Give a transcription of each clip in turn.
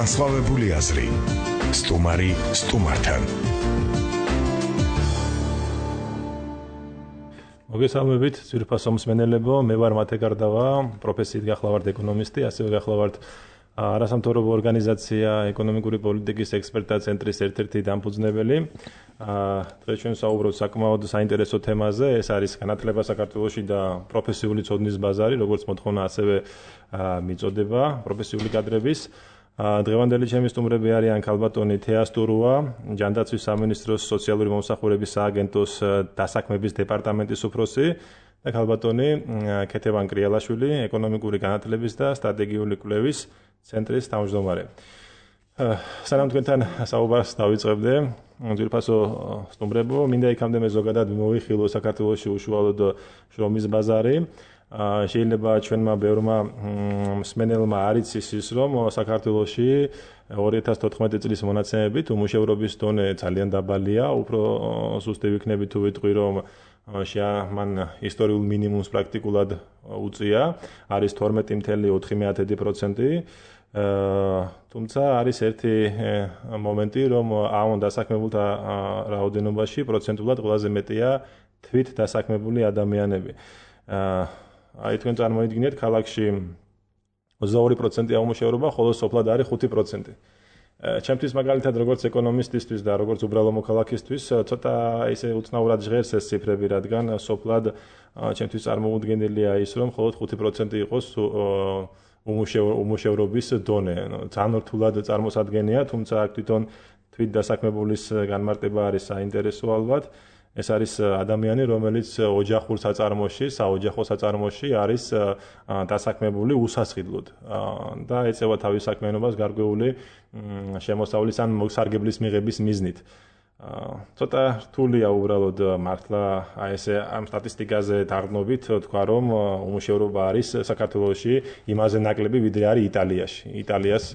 განსხვავებული აზრი. სტუმარი სტუმართან. მოგესალმებით, ძვირფასო მსმენელებო, მე ვარ მათე გარდავა, პროფესიით გახლავართ ეკონომისტი, ასევე გახლავართ არასამთავრობო ორგანიზაცია ეკონომიკური პოლიტიკის ექსპერტთა ცენტრის ერთ-ერთი დამფუძნებელი. დღეს ჩვენ საუბრობთ საკმაოდ საინტერესო თემაზე, ეს არის განათლება საქართველოში და პროფესიული ცოდნის ბაზარი, როგორც მოთხოვნა, ასევე მიწოდება პროფესიული კადრების. დღევანდელი ჩემი სტუმრები არიან ქალბატონი თეა სტურუა, ჯანდაცვის სამინისტროს სოციალური მომსახურების სააგენტოს დასაქმების დეპარტამენტის უფროსი და ქალბატონი ქეთევან კრიალაშვილი, ეკონომიკური განათლების და სტრატეგიული კვლევის ცენტრის თავმჯდომარე. სანამ თქვენთან საუბარს დავიწყებდე, ძვირფასო სტუმრებო, მინდა იქამდე მე ზოგადად მოვიხილო საქართველოში უშუალოდ შრომის ბაზარი. შეიძლება ჩვენმა ბევრმა მსმენელმა არ იცის ის, რომ საქართველოში 2014 წლის მონაცემებით უმუშევრობის დონე ძალიან დაბალია, უფრო სუსტი ვიქნები თუ ვიტყვი, რომ მან ისტორიულ მინიმუმს პრაქტიკულად უწია, არის 12.4%. თუმცა არის ერთი მომენტი, რომ ამ დასაქმებულთა რაოდენობაში პროცენტულად ყველაზე მეტია თვით დასაქმებული ადამიანები. აი თქვენ წარმოიდგინეთ, ქალაქში 22%-ია უმუშევრობა, ხოლო სოფლად არის 5%. ჩემთვის მაგალითად როგორც ეკონომისტისთვის და როგორც უბრალო მოქალაქისთვის ცოტა ისე უცნაურად ჟღერს ეს ციფრები, რადგან სოფლად ჩემთვის წარმოუდგენელია ის, რომ მხოლოდ 5% იყოს უმუშევრობის დონე. ძალიან რთულად წარმოსადგენია, თუმცა აქ თვითონ თვით დასაქმებულის განმარტება არის საინტერესო ალბათ. ეს არის ადამიანი, რომელიც ოჯახურ საწარმოში, საოჯახო საწარმოში არის დასაქმებული უსასყიდლოდ და ეწევა თავის საქმიანობას გარკვეული შემოსავლის ან მოსარგებლის მიღების მიზნით. ცოტა რთულია უბრალოდ მართლა ესე ამ სტატისტიკაზე დარდნობით თქვა, რომ უმუშევრობა არის საქართველოში იმაზე ნაკლები, ვიდრე არის იტალიაში. იტალიას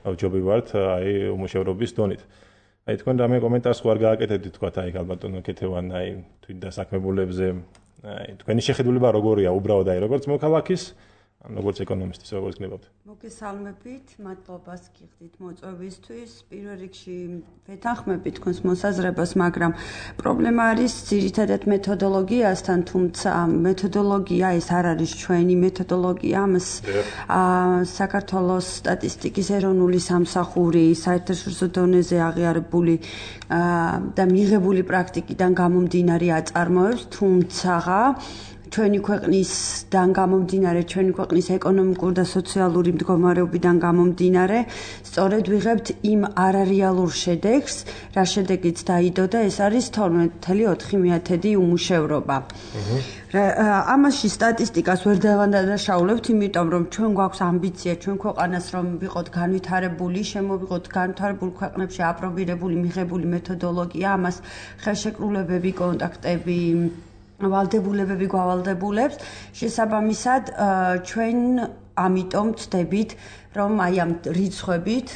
ვჯობივართ აი უმუშევრობის დონით. აი თქვენ რამე კომენტარს ხო არ გააკეთებთ, თქვათ აი ქალბატონო ქეთევან, აი თვით დასაქმებულებზე, აი თქვენი შეხედულება როგორია უბრალოდ აი როგორც მოქალაქის, როგორც ეკონომისტის, როგორც გნებავთ? მოგესალმებით, მადლობას გიხდით მოწვევისთვის. პირველ რიგში ვეთანხმები თქვენს მოსაზრებას, მაგრამ პრობლემა არის ძირითადად მეთოდოლოგიასთან, თუმცა მეთოდოლოგია ეს არ არის ჩვენი მეთოდოლოგია, ამას საქართველოს სტატისტიკის ეროვნული სამსახური საერთაშორისო დონეზე აღიარებული და მიღებული პრაქტიკიდან გამომდინარე აწარმოებს, თუმცა ჩვენი ქვეყნისგან გამომდინარე, ჩვენი ქვეყნის ეკონომიკური და სოციალური მდგომარეობიდან გამომდინარე, სწორედ ვიღებთ იმ არარეალურ შედეგს, რა შედეგიც დაიდო და ეს არის 12.4% უმუშევრობა. ამაში სტატისტიკას ვერ დავანდანაშაულებთ, იმიტომ რომ ჩვენ გვაქვს ამბიცია ჩვენ ქვეყანას, რომ ვიყოთ განვითარებული, შემოვიღოთ განვითარებულ ქვეყნებში აპრობირებული მიღებული მეთოდოლოგია, ამას ხელშეკრულებები, კონტაქტები ვალდებულებები გავალდებულებს. შესაბამისად, ჩვენ ამიტომ ვწდებით, რომ აი ამ რიცხვებით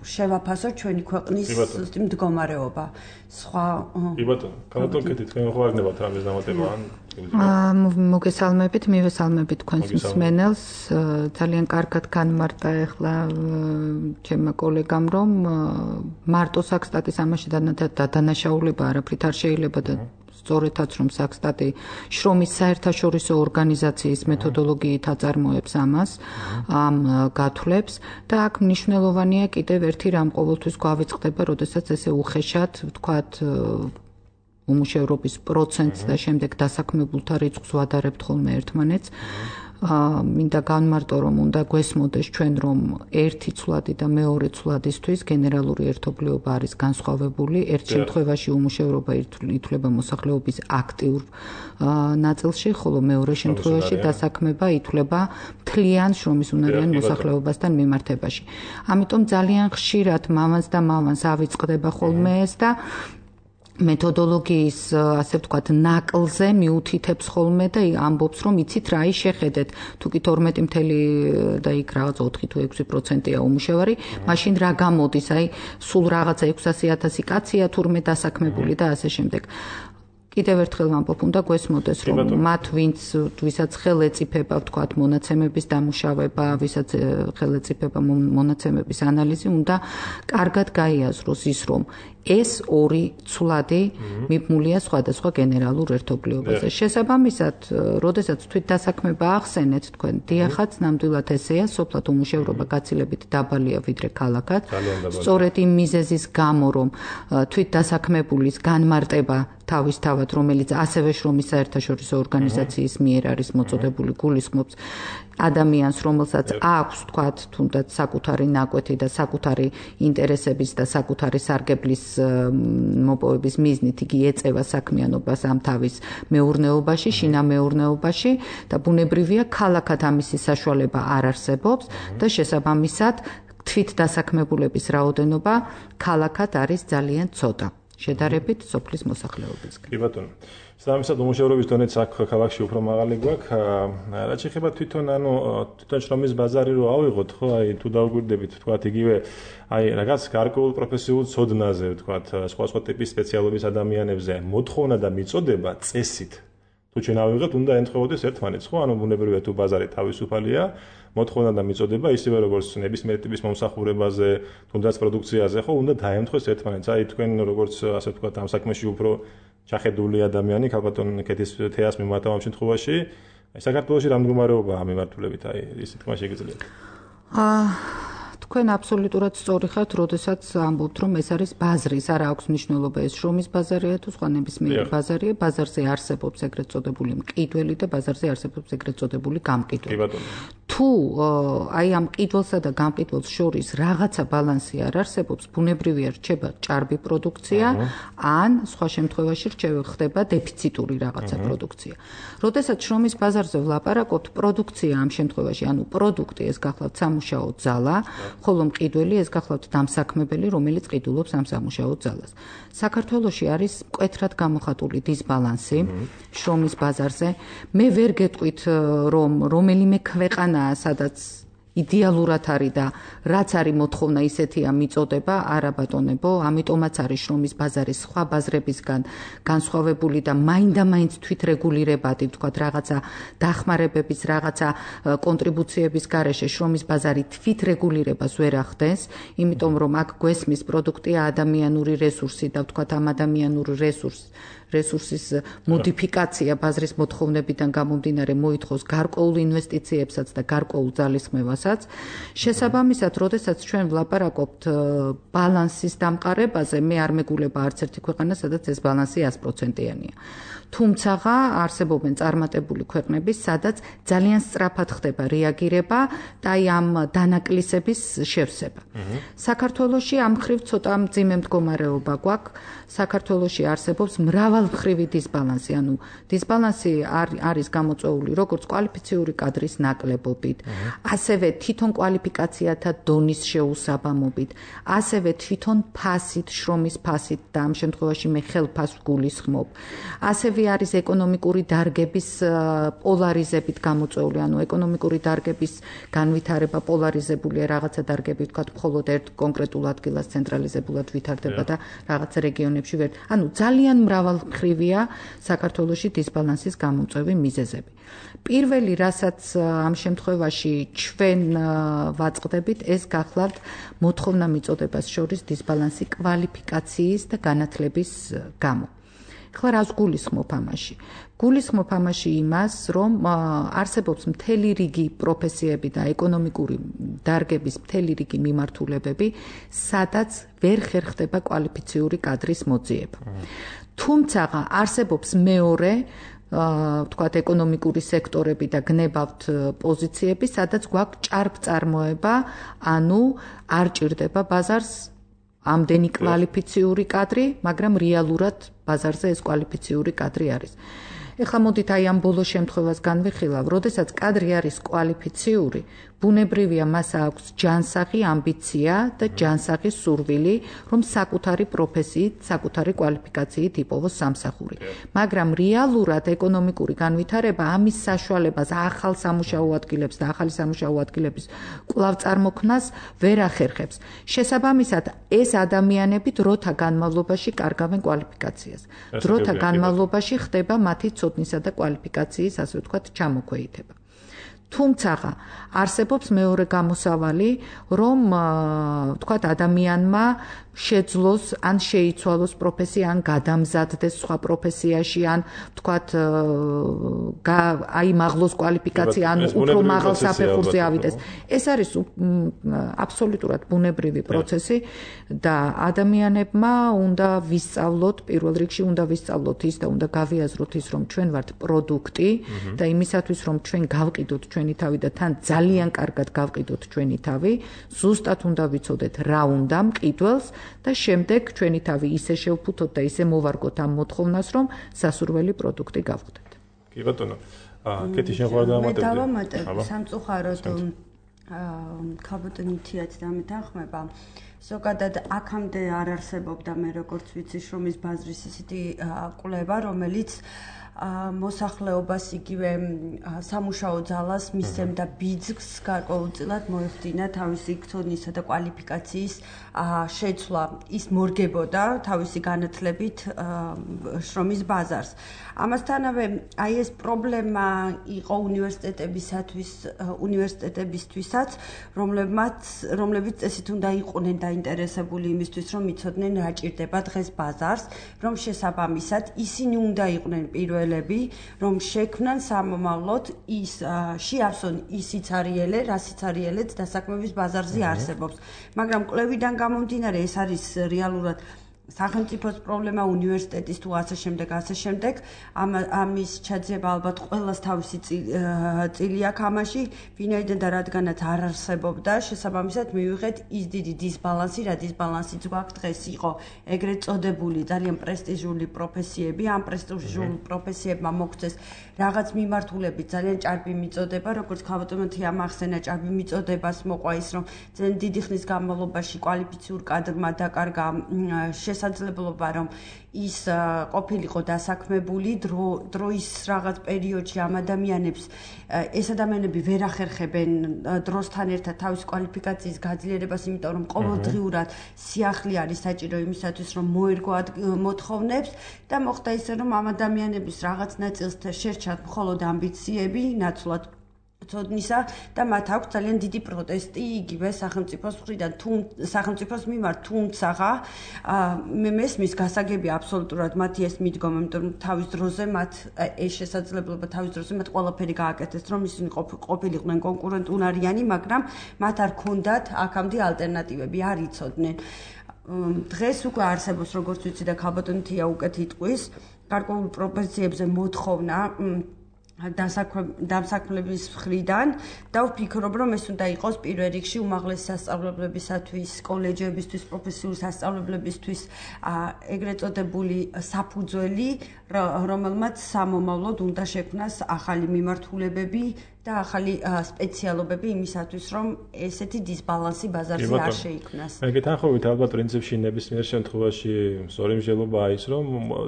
შევაფასოთ ჩვენი ქვეყნის მდგომარეობა. სხვა კი ბატონო, ქალბატონ ქეთი, თქვენ ხო არ გნებავთ რამეს დამატება ან? მოგესალმებით, მივესალმებით თქვენს მსმენელს. ძალიან კარგად განმარტა ახლა ჩემმა კოლეგამ, რომ მარტო საქსტატის ამაში დანაშაულება არაფრით არ შეიძლება და სწორედაც რომ საქსტატი შრომის საერთაშორისო ორგანიზაციის მეთოდოლოგიით აწარმოებს ამას, ამ გათვლებს და აქ მნიშვნელოვანია კიდევ ერთი რამ ყოველთვის გვავიწყდება, როდესაც ესე უხეშად ვთქვათ უმუშევრობის პროცენტს და შემდეგ დასაქმებულთა რიცხვს ვადარებთ ხოლმე ერთმანეთს. მინდა განმარტო, რომ უნდა გვესმოდეს ჩვენ, რომ ერთი ცვლადი და მეორე ცვლადისთვის გენერალური ერთობლიობა არის განსხვავებული. ერთ შემთხვევაში უმუშევრობა ითვლება მოსახლეობის აქტიურ ნაწილში, ხოლო მეორე შემთხვევაში დასაქმება ითვლება მთლიან შრომის უნარიან მოსახლეობასთან მიმართებაში. ამიტომ ძალიან ხშირად მამას და მამას ავიწყდება ხოლმე ეს და მეთოდოლოგიის, ასე ვთქვათ, ნაკლზე მიუთითებს ხოლმე და ამბობს, რომ იცით რა ის შეხედეთ, თუ კი 12 და იქ რაღაც 4 თუ 6%-ია უმუშევარი, მაშინ რა გამოდის, აი სულ რაღაცა 600,000 კაცია თურმე დასაქმებული და ასე შემდეგ. კიდევ ერთხელ ვამბობ, უნდა გვესმოდეს, რომ მათ ვისაც ხელ ეწიფება, ვთქვათ, მონაცემების დამუშავება, ვისაც ხელ ეწიფება მონაცემების ანალიზი, უნდა კარგად გაიაზროს ის, რომ ეს ორი ცვლადი მიბმულია სხვადასხვა გენერალურ ერთობლიობაზე. შესაბამისად, როდესაც თვითდასაქმება ახსენეთ, თქვენ დიახაც, ნამდვილად ესეა, სოფლად უმუშევრობა გაცილებით დაბალია ვიდრე ქალაქად. სწორედ იმ მიზეზის გამო, რომ თვითდასაქმებულის განმარტება თავისთავად, რომელიც ასევე შრომის საერთაშორისო ორგანიზაციის მიერ არის მოწოდებული, გულისხმობს ადამიანს, რომელსაც აქვს, თქვათ, თუნდაც საკუთარი ნაკვეთი და საკუთარი ინტერესების და საკუთარი სარგებლის მოპოვების მიზნით იგი ეწევა საქმიანობას ამ თავის მეურნეობაში, შინამეურნეობაში და ბუნებრივია, ქალაქად ამისი საშუალება არ არსებობს და შესაბამისად თვითდასაქმებულების რაოდენობა ქალაქად არის ძალიან ცოტა. შედარებით სოფლის მოსახლეობისგან. კი ბატონო. შესაბამისად უმუშევრობის დონეც აქ ქალაქში უფრო მაღალი გვაქვს. რაც შეეხება თვითონ შრომის ბაზარი რო ავიღოთ, ხო, აი თუ დავგვირდებით, თქვათ, იგივე აი რაღაც გარკვეულ პროფესიულ ცოდნაზე, თქვათ, სხვა ტიპის სპეციალობის ადამიანებზე მოთხოვნა და მიწოდება წესით. თუ ჩვენ ავიღეთ, უნდა ემთხვეოდეს ერთმანეთს, ხო? ანუ ბუნებრივია თუ ბაზარი თავისუფალია, მოთხოვნა და მიწოდება ისევე როგორც ნებისმიერი ტიპის მომსახურებაზე, თუნდაც პროდუქციაზე, ხო, უნდა დაემთხვეს ერთმანეთს. აი თქვენ როგორც ასე ვთქვათ, ამ საქმეში უფრო ჩახედული ადამიანი, ქალბატონ კეთის თეას მიმართავ ამ შემთხვევაში, აი საქართველოში რა მდგომარეობაა მიმართულებით, აი ის თქმა შეგიძლიათ. თქვენ აბსოლუტურად სწორი ხართ, როდესაც ამბობთ, რომ ეს არის ბაზრის, არა აქვს მნიშვნელობა ეს შრომის ბაზარია თუ სხვა ნებისმიერი ბაზარია, ბაზარზე არსებობს ეგრეთ წოდებული მყიდველი და ბაზარზე არსებობს ეგრეთ წოდებული გამყიდველი. თუ აი ამ მყიდველსა და გამყიდველს შორის რაღაცა ბალანსი არ არსებობს, ბუნებრივია რჩება ჭარბი პროდუქცია, ან სხვა შემთხვევაში ხდება დეფიციტური რაღაცა პროდუქცია. როდესაც შრომის ბაზარზე ვლაპარაკობთ, პროდუქცია ამ შემთხვევაში, ანუ პროდუქტი ეს გახლავთ სამუშაო ძალა, ხოლო მყიდველი ეს გახლავთ დამსაქმებელი, რომელიც ყიდულობს ამ სამუშაო ძალას. საქართველოში არის მკვეთრად გამოხატული დისბალანსი შრომის ბაზარზე. მე ვერ გეტყვით, რომ რომელიმე ქვეყანაა, სადაც იდეალურად არის და რაც არის მოთხოვნა ისეთია მიწოდება, არა ბატონებო, ამიტომაც არის შრომის ბაზარი სხვა ბაზრებისგან განსხვავებული და მაინდა-მაინც თვითრეგულირებადი, ვთქვათ, რაღაცა დახმარებების, რაღაცა კონტრიბუციების გარეშე შრომის ბაზარი თვითრეგულირებას ვერ ახდენს, იმიტომ რომ აქ გვესმის პროდუქტია ადამიანური რესურსი და ვთქვათ, ამ ადამიანური რესურსის მოდიფიკაცია ბაზრის მოთხოვნებიდან გამომდინარე მოითხოვს გარკვეულ ინვესტიციებსაც და გარკვეულ ძალისხმევასაც. შესაბამისად, როდესაც ჩვენ ვლაპარაკობთ ბალანსის დამყარებაზე, მე არ მეგულება არც ერთი ქვეყანა, სადაც ეს ბალანსი 100%-იანია. თუმცა არსებობენ წარმატებული ქვეყნები, სადაც ძალიან სწრაფად ხდება რეაგირება და აი ამ დანაკლისების შევსება. საქართველოში ამ მხრივ ცოტა მძიმე მდგომარეობა გვაქვს. საქართველოში არსებობს მრავალმხრივი დისბალანსი, ანუ დისბალანსი არის გამოწვეული როგორც კვალიფიციური კადრის ნაკლებობით, ასევე თვითონ კვალიფიკაციათა დონის შეუსაბამობით, ასევე თვითონ ფასით, შრომის ფასით და ამ შემთხვევაში მე ხელფასს გულისხმობ. ასევე არის ეკონომიკური დარგების პოლარიზებით გამოწვეული, ანუ ეკონომიკური დარგების განვითარება პოლარიზებულია, რაღაცა დარგები ვთქვათ, მხოლოდ ერთ კონკრეტულ ადგილას ცენტრალიზებულად ვითარდება და რაღაცა რეგიონებში ვერ. ანუ ძალიან მრავალმხრივია საქართველოში დისბალანსის გამომწვევი მიზეზები. პირველი, რასაც ამ შემთხვევაში ჩვენ ვაწყდებით, ეს გახლავთ მოთხოვნა მიწოდებას შორის დისბალანსი კვალიფიკაციის და განათლების გამო. ხლა რას გულისხმობ ამაში? გულისხმობ ამაში იმას, რომ არსებობს მთელი რიგი პროფესიები და ეკონომიკური დარგების მთელი რიგი მიმართულებები, სადაც ვერ ხერხდება კვალიფიციური კადრის მოძიება. თუმცა არსებობს მეორე ვთქვათ, ეკონომიკური სექტორები და გნებავთ პოზიციები, სადაც გვაქვს ჭარბწარმოება, ანუ არ ჭირდება ბაზარს ამდენი კვალიფიციური კადრი, მაგრამ რეალურად ბაზარზე ეს კვალიფიციური კადრი არის. ეხლა მოდით აი ამ ბოლო შემთხვევას განვიხილავ, როდესაც კადრი არის კვალიფიციური, ბუნებრივია მას აქვს ჯანსაღი ამბიცია და ჯანსაღი სურვილი, რომ საკუთარი პროფესიით, საკუთარი კვალიფიკაციით იპოვოს სამსახური. მაგრამ რეალურად ეკონომიკური განვითარება ამის საშუალებას ახალ სამუშაო ადგილებს და ახალი სამუშაო ადგილების კვლავ წარმოქმნას ვერ ახერხებს. შესაბამისად, ეს ადამიანები დროთა განმავლობაში კარგავენ კვალიფიკაციას. დროთა განმავლობაში ხდება მათი ცოდნისა და კვალიფიკაციის, ასე ვთქვათ, ჩამოქვეითება. თუმცა არსებობს მეორე გამოსავალი, რომ ვთქვათ ადამიანმა შეძლოს ან შეიცვალოს პროფესია, ან გადამზადდეს სხვა პროფესიაში, ან ვთქვათ აიმაღლოს კვალიფიკაცია, ან უფრო მაღალ საფეხურზე ავიდეს. ეს არის აბსოლუტურად ბუნებრივი პროცესი და ადამიანებმა უნდა ვისწავლოთ, პირველ რიგში უნდა ვისწავლოთ ის და უნდა გავიაზროთ ის, რომ ჩვენ ვართ პროდუქტი და იმისათვის, რომ ჩვენ გავყიდოთ ჩვენი თავი და თან ძალიან კარგად გავყიდოთ ჩვენი თავი, ზუსტად უნდა ვიცოდეთ რა უნდა მყიდველს და შემდეგ ჩვენი თავი ისე შევფუთოთ და ისე მოვარგოთ ამ მოთხოვნას, რომ სასურველი პროდუქტი გავხდეთ. კი ბატონო. კეთი შეგვარდა ამატებდი. მე დავამატებ სამწუხაროდ ქალბატონი თიაც დამეთანხმება. ზოგადად აქამდე არ არსებობდა მე როგორც ვიცი შრომის ბაზრის ისეთი კვლევა, რომელიც მოსახლეობას იგივე სამუშაო ძალას მისცემდა ბიძგს გარკვეულწილად მოეხდინა თავისი ცოდნისა და კვალიფიკაციის შეცვლა. ის მორგებოდა თავისი განათლებით შრომის ბაზარს. ამასთანავე აი ეს პრობლემა იყო უნივერსიტეტებისთვისაც, რომლებიც წესით უნდა იყვნენ დაინტერესებული იმისთვის, რომ იცოდნენ რა ჭირდება დღეს ბაზარს, რომ შესაბამისად ისინი უნდა იყვნენ პირველები, რომ შექმნან სამომავლოდ ის შეავსონ ის სიცარიელე, რა სიცარიელეც დასაქმების ბაზარზე არსებობს. მაგრამ კვლევიდან გამომდინარე ეს არის რეალურად სახელმწიფოს პრობლემა, უნივერსიტეტის თუ ასე შემდეგ, ამის ჩაძება ალბათ ყველას თავისი წილი აქვს ამაში, ვინაიდან და რადგანაც არ არსებობდა, შესაბამისად მივიღეთ ის დიდი დისბალანსი, რა დისბალანსიც გვაქვს დღეს იყო ეგრეთ წოდებული ძალიან პრესტიჟული პროფესიები, ამ პრესტიჟულ პროფესიებმა მოგცეს რაღაც მიმართულებით ძალიან ჭარბი მიწოდება, როგორც ქალბატონმა ამახსენა ჭარბი მიწოდებას მოყვა ის, რომ ძალიან დიდი ხნის განმავლობაში კვალიფიციურ კადრმა დაკარგა შესაძლებლობა, რომ ის ყოფილიყო დასაქმებული დროის რაღაც პერიოდში ამ ადამიანებს ეს ადამიანები ვერ ახერხებენ დროსთან ერთად თავის კვალიფიკაციის გაძლიერებას, იმიტომ რომ ყოველდღიურად სიახლე არის საჭირო იმისათვის, რომ მოერგო მოთხოვნებს და მოხდა ისე, რომ ამ ადამიანების რაღაც ნაწილს შერჩათ მხოლოდ ამბიციები, ნაცვლად ცოდნისა და მათ აქვს ძალიან დიდი პროტესტი იგივე სახელმწიფოს მხრიდან, სახელმწიფოს მიმართ, თუმცა მე მესმის გასაგებია აბსოლუტურად მათი ეს მიდგომა, იმიტომ რომ თავის დროზე მათ ეს შესაძლებლობა თავის დროზე მათ ყველაფერი გააკეთეს, რომ ისინი ყოფილიყვნენ კონკურენტუნარიანი, მაგრამ მათ არ ქონდათ აქამდე ალტერნატივები, არ იცოდნენ. დღეს უკვე არსებობს, როგორც ვიცი და ქალბატონი თია უკეთ იტყვის, გარკვეულ პროფესიებზე მოთხოვნა დამსაქმლების მხრიდან და ვფიქრობ, რომ ეს უნდა იყოს პირველ რიგში უმაღლესი სასწავლებლებისათვის, კოლეჯებისთვის, პროფესიული სასწავლებლებისთვის ეგრეთ წოდებული საფუძველი, რომელმაც სამომავლოდ უნდა შექმნას ახალი მიმართულებები და ახალი სპეციალობები იმისათვის, რომ ესეთი დისბალანსი ბაზარზე არ შეიქმნას. მე გეთანხმებით, ალბათ პრინციპში ნებისმიერ შემთხვევაში სწორი მსჯელობაა ის, რომ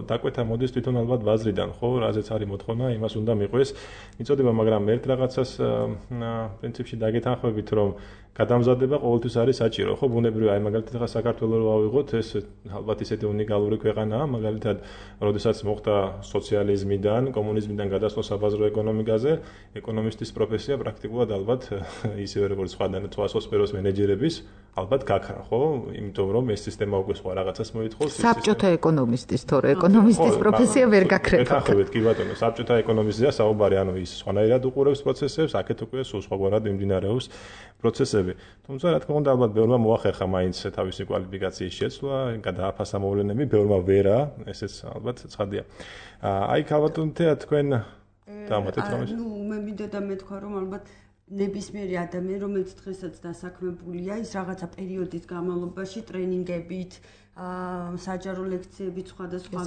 დაკვეთა მოდის თვითონ ალბათ ბაზრიდან, ხო, რაზეც არის მოთხოვნა, იმას უნდა მიყვეს. მიწოდება, მაგრამ ერთ რაღაცას პრინციპში დაგეთანხმებით, რომ გადამზადება ყოველთვის არის საჭირო, ხო, ბუნებრივია, აი მაგალითად ახლა საქართველოს რო ავიღოთ, ეს ალბათ ისეთი უნიკალური ქვეყანაა, მაგალითად, როდესაც მოხდა სოციალიზმიდან, კომუნიზმიდან გადასვლა საბაზრო ეკონომიკაზე, ეკონომისტის პროფესია პრაქტიკულად ალბათ ისევე როგორც სხვა სფეროს მენეჯერების, ალბათ გაქრა, ხო? იმიტომ რომ ეს სისტემა უკვე სხვა რაღაცას მოითხოვს. საბჭოთა ეკონომისტის, თორე ეკონომისტის პროფესია ვერ გაქრება. ეთანხმებით, კი ბატონო, საბჭოთა ეკონომისტია საუბარი, ანუ ის სხვანაირად უყურებს პროცესებს, აქეთ უკვე სულ სხვაგვარად მიმდინარეობს პროცესები. თუმცა რა თქმა უნდა, ალბათ ბევრმა მოახერხა მაინც თავისი კვალიფიკაციის შეცვლა, გადააფასა მოვლენები, ბევრმა ვერა, ესეც ალბათ ცხადია. აი, ქალბატონთეა თქვენ დამატეთ რამეს? მე მინდოდა მეთქვა, რომ ალბათ ნებისმიერი ადამიანი, რომელიც დღესაც დასაქმებულია, ის რაღაცა პერიოდის განმავლობაში ტრენინგებით, საჯარო ლექციებით სხვადასხვა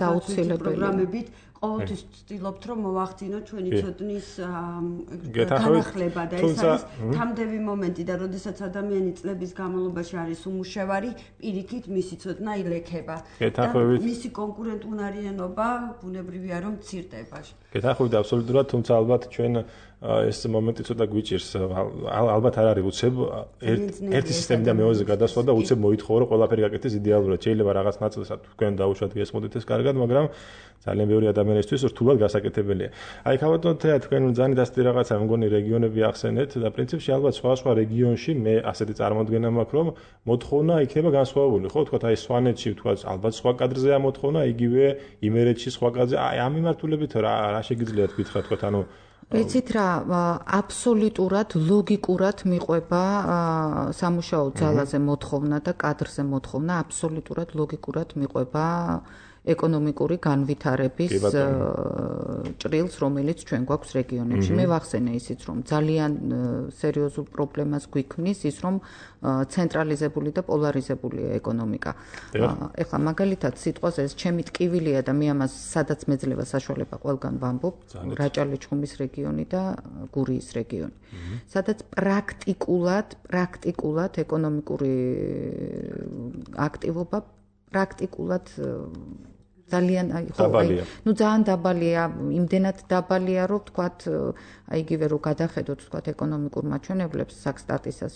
პროგრამებით ყოველთვის ვცდილობთ რომ მოვახდინოთ ჩვენი ცოდნის განახლება და ეს არის თამდები მომენტი და როდესაც ადამიანი წლების განმავლობაში არის უმუშევარი, პირიქით მისი ცოდნა ილექება და მისი კონკურენტუნარიანობა ბუნებრივია რომ მცირდება. გეთანხმებით აბსოლუტურად, თუმცა ალბათ ჩვენ ეს მომენტი ცოტა გვიჭირს, ალბათ არ არის უცებ ერთი სისტემიდან მეორეზე გადასვლა და უცებ მოითხოვო რომ ყველაფერი გაკეთდეს იდეალურად. შეიძლება რაღაც ნაწილსაც თქვენ დაუშვათ გესმოდით ეს კარგად, მაგრამ ძალიან ბევრი ადამიანისთვის რთულად გასაკეთებელია. აი ქავატონ თეა თქვენ ძალიან დასტი რაღაცა მგონი რეგიონები ახსენეთ და პრინციპში ალბათ სხვა რეგიონში მე ასეთი წარმოდგენა მაქვს რომ მოთხოვნა იქნება განსხვავებული, ხო? თქვათ აი სვანეთში თქვათ ალბათ სხვა კადრზეა მოთხოვნა, იგივე იმერეთში სხვა კადრზე. აი ამ მიმართულებით რა შეგიძლიათ გითხრათ, თქვათ ანუ ეცით რა აბსოლუტურად ლოგიკურად მიყვება სამუშაო ძალაზე მოთხოვნა და კადრზე მოთხოვნა აბსოლუტურად ლოგიკურად მიყვება ეკონომიკური განვითარების ჭრილს, რომელიც ჩვენ გვაქვს რეგიონებში. მე ვახსენე ისიც, რომ ძალიან სერიოზულ პრობლემას გვიქმნის ის, რომ ცენტრალიზებული და პოლარიზებულია ეკონომიკა. ეხლა მაგალითად სიტყვაზე ეს ჩემი ტკივილია და მე ამას სადაც მეძლევა საშუალება ყველგან ვამბობ, რაჭა-ლეჩხუმის რეგიონი და გურიის რეგიონი. სადაც პრაქტიკულად ეკონომიკური აქტივობა პრაქტიკულად ძალიან ძალიან დაბალია, იმდენად დაბალია, რომ თქვათ, აი იგივე რომ გადახედოთ თქვათ ეკონომიკურ მაჩვენებლებს საქსტატისას,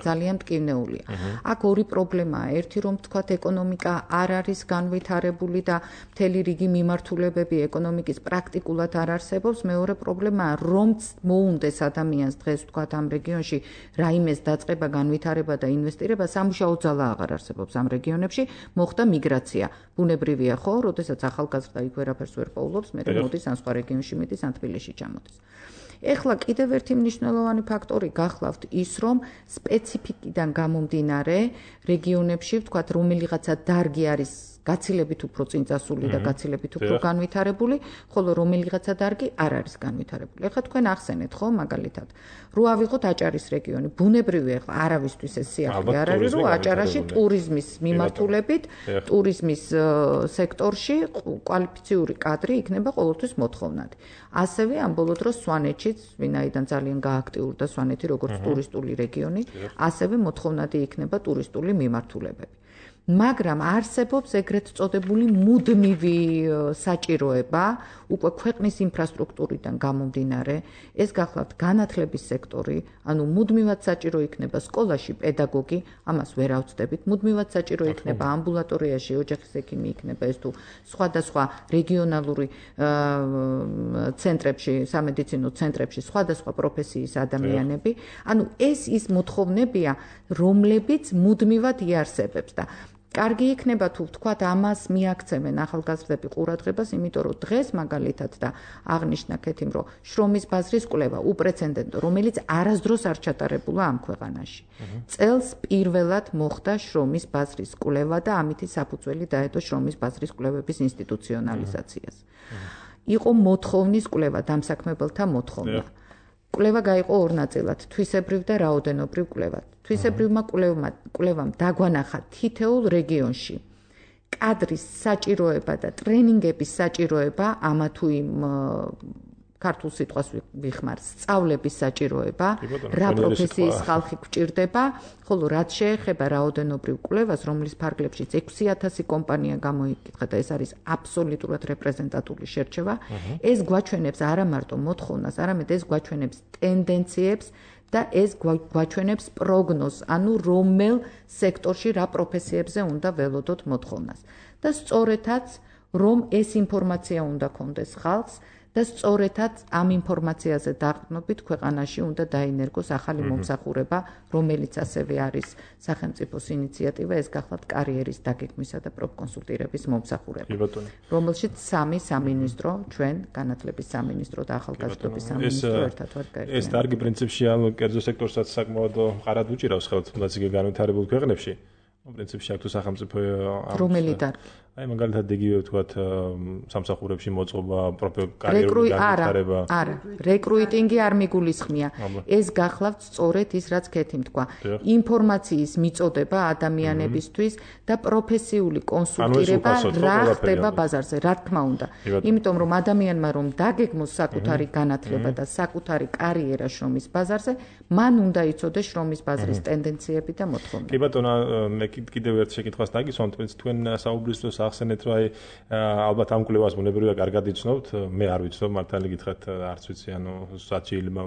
ძალიან მტკივნეულია. აქ ორი პრობლემაა. ერთი რომ თქვათ ეკონომიკა არ არის განვითარებული და მთელი რიგი მიმართულებები ეკონომიკის პრაქტიკულად არ არსებობს. მეორე პრობლემაა, რომ მოუნდეს ადამიანს დღეს თქვათ ამ რეგიონში რაიმეს დაწყება, განვითარება და ინვესტირება, სამუშაო ძალა აღარ არსებობს ამ რეგიონებში, მოხდა მიგრაცია. ბუნებრივია ხო? როდესაც ახალგაზრდა იქ ვერაფერს ვერ პოულობს, მე მოდის ან სხვა რეგიონში მიდის, ან თბილისში ჩამოდის. ეხლა კიდევ ერთი მნიშვნელოვანი ფაქტორი გახლავთ ის, რომ სპეციფიკიდან გამომდინარე რეგიონებში, ვთქვათ, რომელიღაცა დარგი არის გაცილებით უფრო წინწასული და გაცილებით უფრო განვითარებული, ხოლო რომელიღაცა დარგი არ არის განვითარებული. ეხლა თქვენ ახსენეთ ხო, მაგალითად, რო ავიღოთ აჭარის რეგიონი, ბუნებრივია, ეხლა არავისთვის ეს სიახლე არ არის, რომ აჭარაში ტურიზმის მიმართულებით, ტურიზმის სექტორში კვალიფიციური კადრი იქნება ყოველთვის მოთხოვნადი. ასევე ამ ბოლო დროს სვანეთშიც, ვინაიდან ძალიან გააქტიურდა სვანეთი როგორც ტურისტული რეგიონი, ასევე მოთხოვნადი იქნება ტურისტული მიმართულებები. მაგრამ არსებობს ეგრეთ წოდებული მუდმივი საჭიროება, უკვე ქვეყნის ინფრასტრუქტურიდან გამომდინარე, ეს გახლავთ განათლების სექტორი, ანუ მუდმივად საჭირო იქნება სკოლაში პედაგოგი, ამას ვერ ავწდებით, მუდმივად საჭირო იქნება ამბულატორიაში ოჯახის ექიმი იქნება ეს თუ სხვადასხვა რეგიონალური ცენტრებში, სამედიცინო ცენტრებში სხვადასხვა პროფესიის ადამიანები, ანუ ეს ის მოთხოვნებია, რომლებიც მუდმივად იარსებებს და კარგი იქნება თუ ვთქვათ ამას მიაქცევენ ახალგაზრდები ყურადღებას, იმიტომ რომ დღეს მაგალითად და აღნიშნა კეთიმ, რომ შრომის ბაზრის კვლევა უპრეცედენტო, რომელიც არასდროს არ ჩატარებულა ამ ქვეყანაში. წელს პირველად მოხდა შრომის ბაზრის კვლევა და ამითი საფუძველი დაედო შრომის ბაზრის კვლევების ინსტიტუციონალიზაციას. იყო მოთხოვნის კვლევა, დამსაქმებელთა მოთხოვნა. კვლევა გაიყო ორ ნაწილად, თვისებრივ და რაოდენობრივ კვლევად. თვისებრივმა კვლევამ დაგვანახა თითოეულ რეგიონში კადრის საჭიროება და ტრენინგების საჭიროება, ამა თუ იმ ქართულ სიტყვას ვიხმარ, სწავლების საჭიროება, რა პროფესიის ხალხი გვჭირდება, ხოლო რაც შეეხება რაოდენობრივ კვლევას, რომლის ფარგლებშიც 6000 კომპანია გამოიკითხა და ეს არის აბსოლუტურად რეპრეზენტატული შერჩევა, ეს გვაჩვენებს არა მარტო მოთხოვნას, არამედ ეს გვაჩვენებს ტენდენციებს და ეს გვაჩვენებს პროგნოზს, ანუ რომელ სექტორში რა პროფესიებზე უნდა ველოდოთ მოთხოვნას. და სწორედაც რომ ეს ინფორმაცია უნდა კონდეს ხალხს და სწორედაც ამ ინფორმაციაზე დაყრდნობით ქვეყანაში უნდა დაინერგოს ახალი მომსახურება, რომელიც ასევე არის სახელმწიფოს ინიციატივა, ეს გახლავთ კარიერის დაგეგმვისა და პროფკონსულტირების მომსახურება, რომელშიც სამი სამინისტრო, ჩვენ განათლების სამინისტრო და ახალგაზრდობის სამინისტრო ერთად ვარ გაერთიანებული. ეს დარგი პრინციპში ამ კერძო სექტორსაც საკმაოდ მხარად უჭირავს ხელთ, თუნდაც იგი განვითარებულ ქვეყნებში. პრინციპში აქ თუ სახელმწიფო რომელი დარგი? აი მაგალითად იგივე ვთქვათ სამსახურებში მოწყობა კარიერული განვითარება. არა, რეკრუიტინგი არ მიგულისხმია. ეს გახლავთ სწორედ ის რაც ქეთი თქვა. ინფორმაციის მიწოდება ადამიანებისთვის და პროფესიული კონსულტირება რა ხდება ბაზარზე, რა თქმა უნდა. იმიტომ რომ ადამიანმა რომ დაგეგმოს საკუთარი განათლება და საკუთარი კარიერა შრომის ბაზარზე, მან უნდა იცოდეს შრომის ბაზრის ტენდენციები და მოთხოვნები. კი ბატონო, მე კიდევ ერთ შეკითხვას დაგისვამთ, თქვენ საუბრის დროს ახსენეთ, რომ ალბათ ამ კვლევას ბუნებრივია კარგად იცნობთ, მე არ ვიცნობ, მართალი გითხრათ, არც ვიცი, სად შეიძლება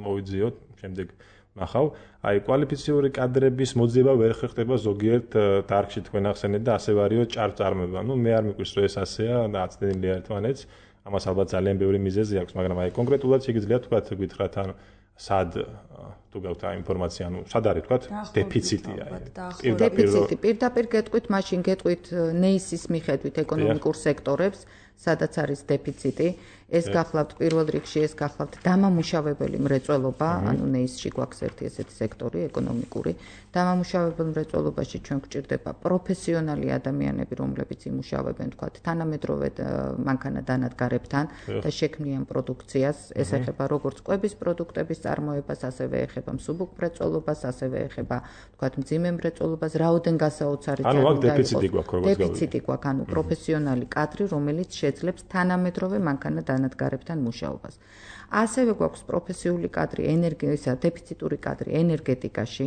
მოვიძიოთ, შემდეგ ნახავ. აი კვალიფიციური კადრების მოძიება ვერ ხერხდება ზოგიერთ დარგში თქვენ ახსენეთ და ასევე არისო ჭარბწარმოება. მე არ მიყვარს რომ ეს ასეა და აცდენილია ერთმანეთს. ამას ალბათ ძალიან ბევრი მიზეზი აქვს, მაგრამ აი კონკრეტულად შეგიძლიათ თქვათ გითხრათ სად თუ გაქვთ ინფორმაცია, სად არის თქვათ დეფიციტია. დეფიციტი პირდაპირ გეტყვით, მაშინ გეტყვით ნეისის მიხედვით ეკონომიკურ სექტორებს, სადაც არის დეფიციტი. ეს გახლავთ პირველ რიგში, ეს გახლავთ დამამუშავებელი მრეწველობა, ანუ ნეისში გვაქვს ერთი ესეთი სექტორი ეკონომიკური. დამამუშავებელ მრეწველობაში ჩვენ გვჭირდება პროფესიონალი ადამიანები, რომლებიც იმუშავებენ, თქვათ, თანამედროვე მანქანა-დანადგარებთან და შექმნიან პროდუქციას. ეს ეხება როგორც კვების პროდუქტების წარმოებას, ასევე ეხება მსუბუქ მრეწველობას, ასევე ეხება, თქვათ, მძიმე მრეწველობას, რაოდენ გასაოცარი ანუ აქ დეფიციტი გვაქვს, როგორც გავიგე. დეფიციტი გვაქვს, ანუ პროფესიონალი კადრი, რომელიც შეძლებს თანამედროვე მანქანა-დანადგარებთან მუშაობას. ასევე გვაქვს პროფესიული კადრი, დეფიციტური კადრი ენერგეტიკაში,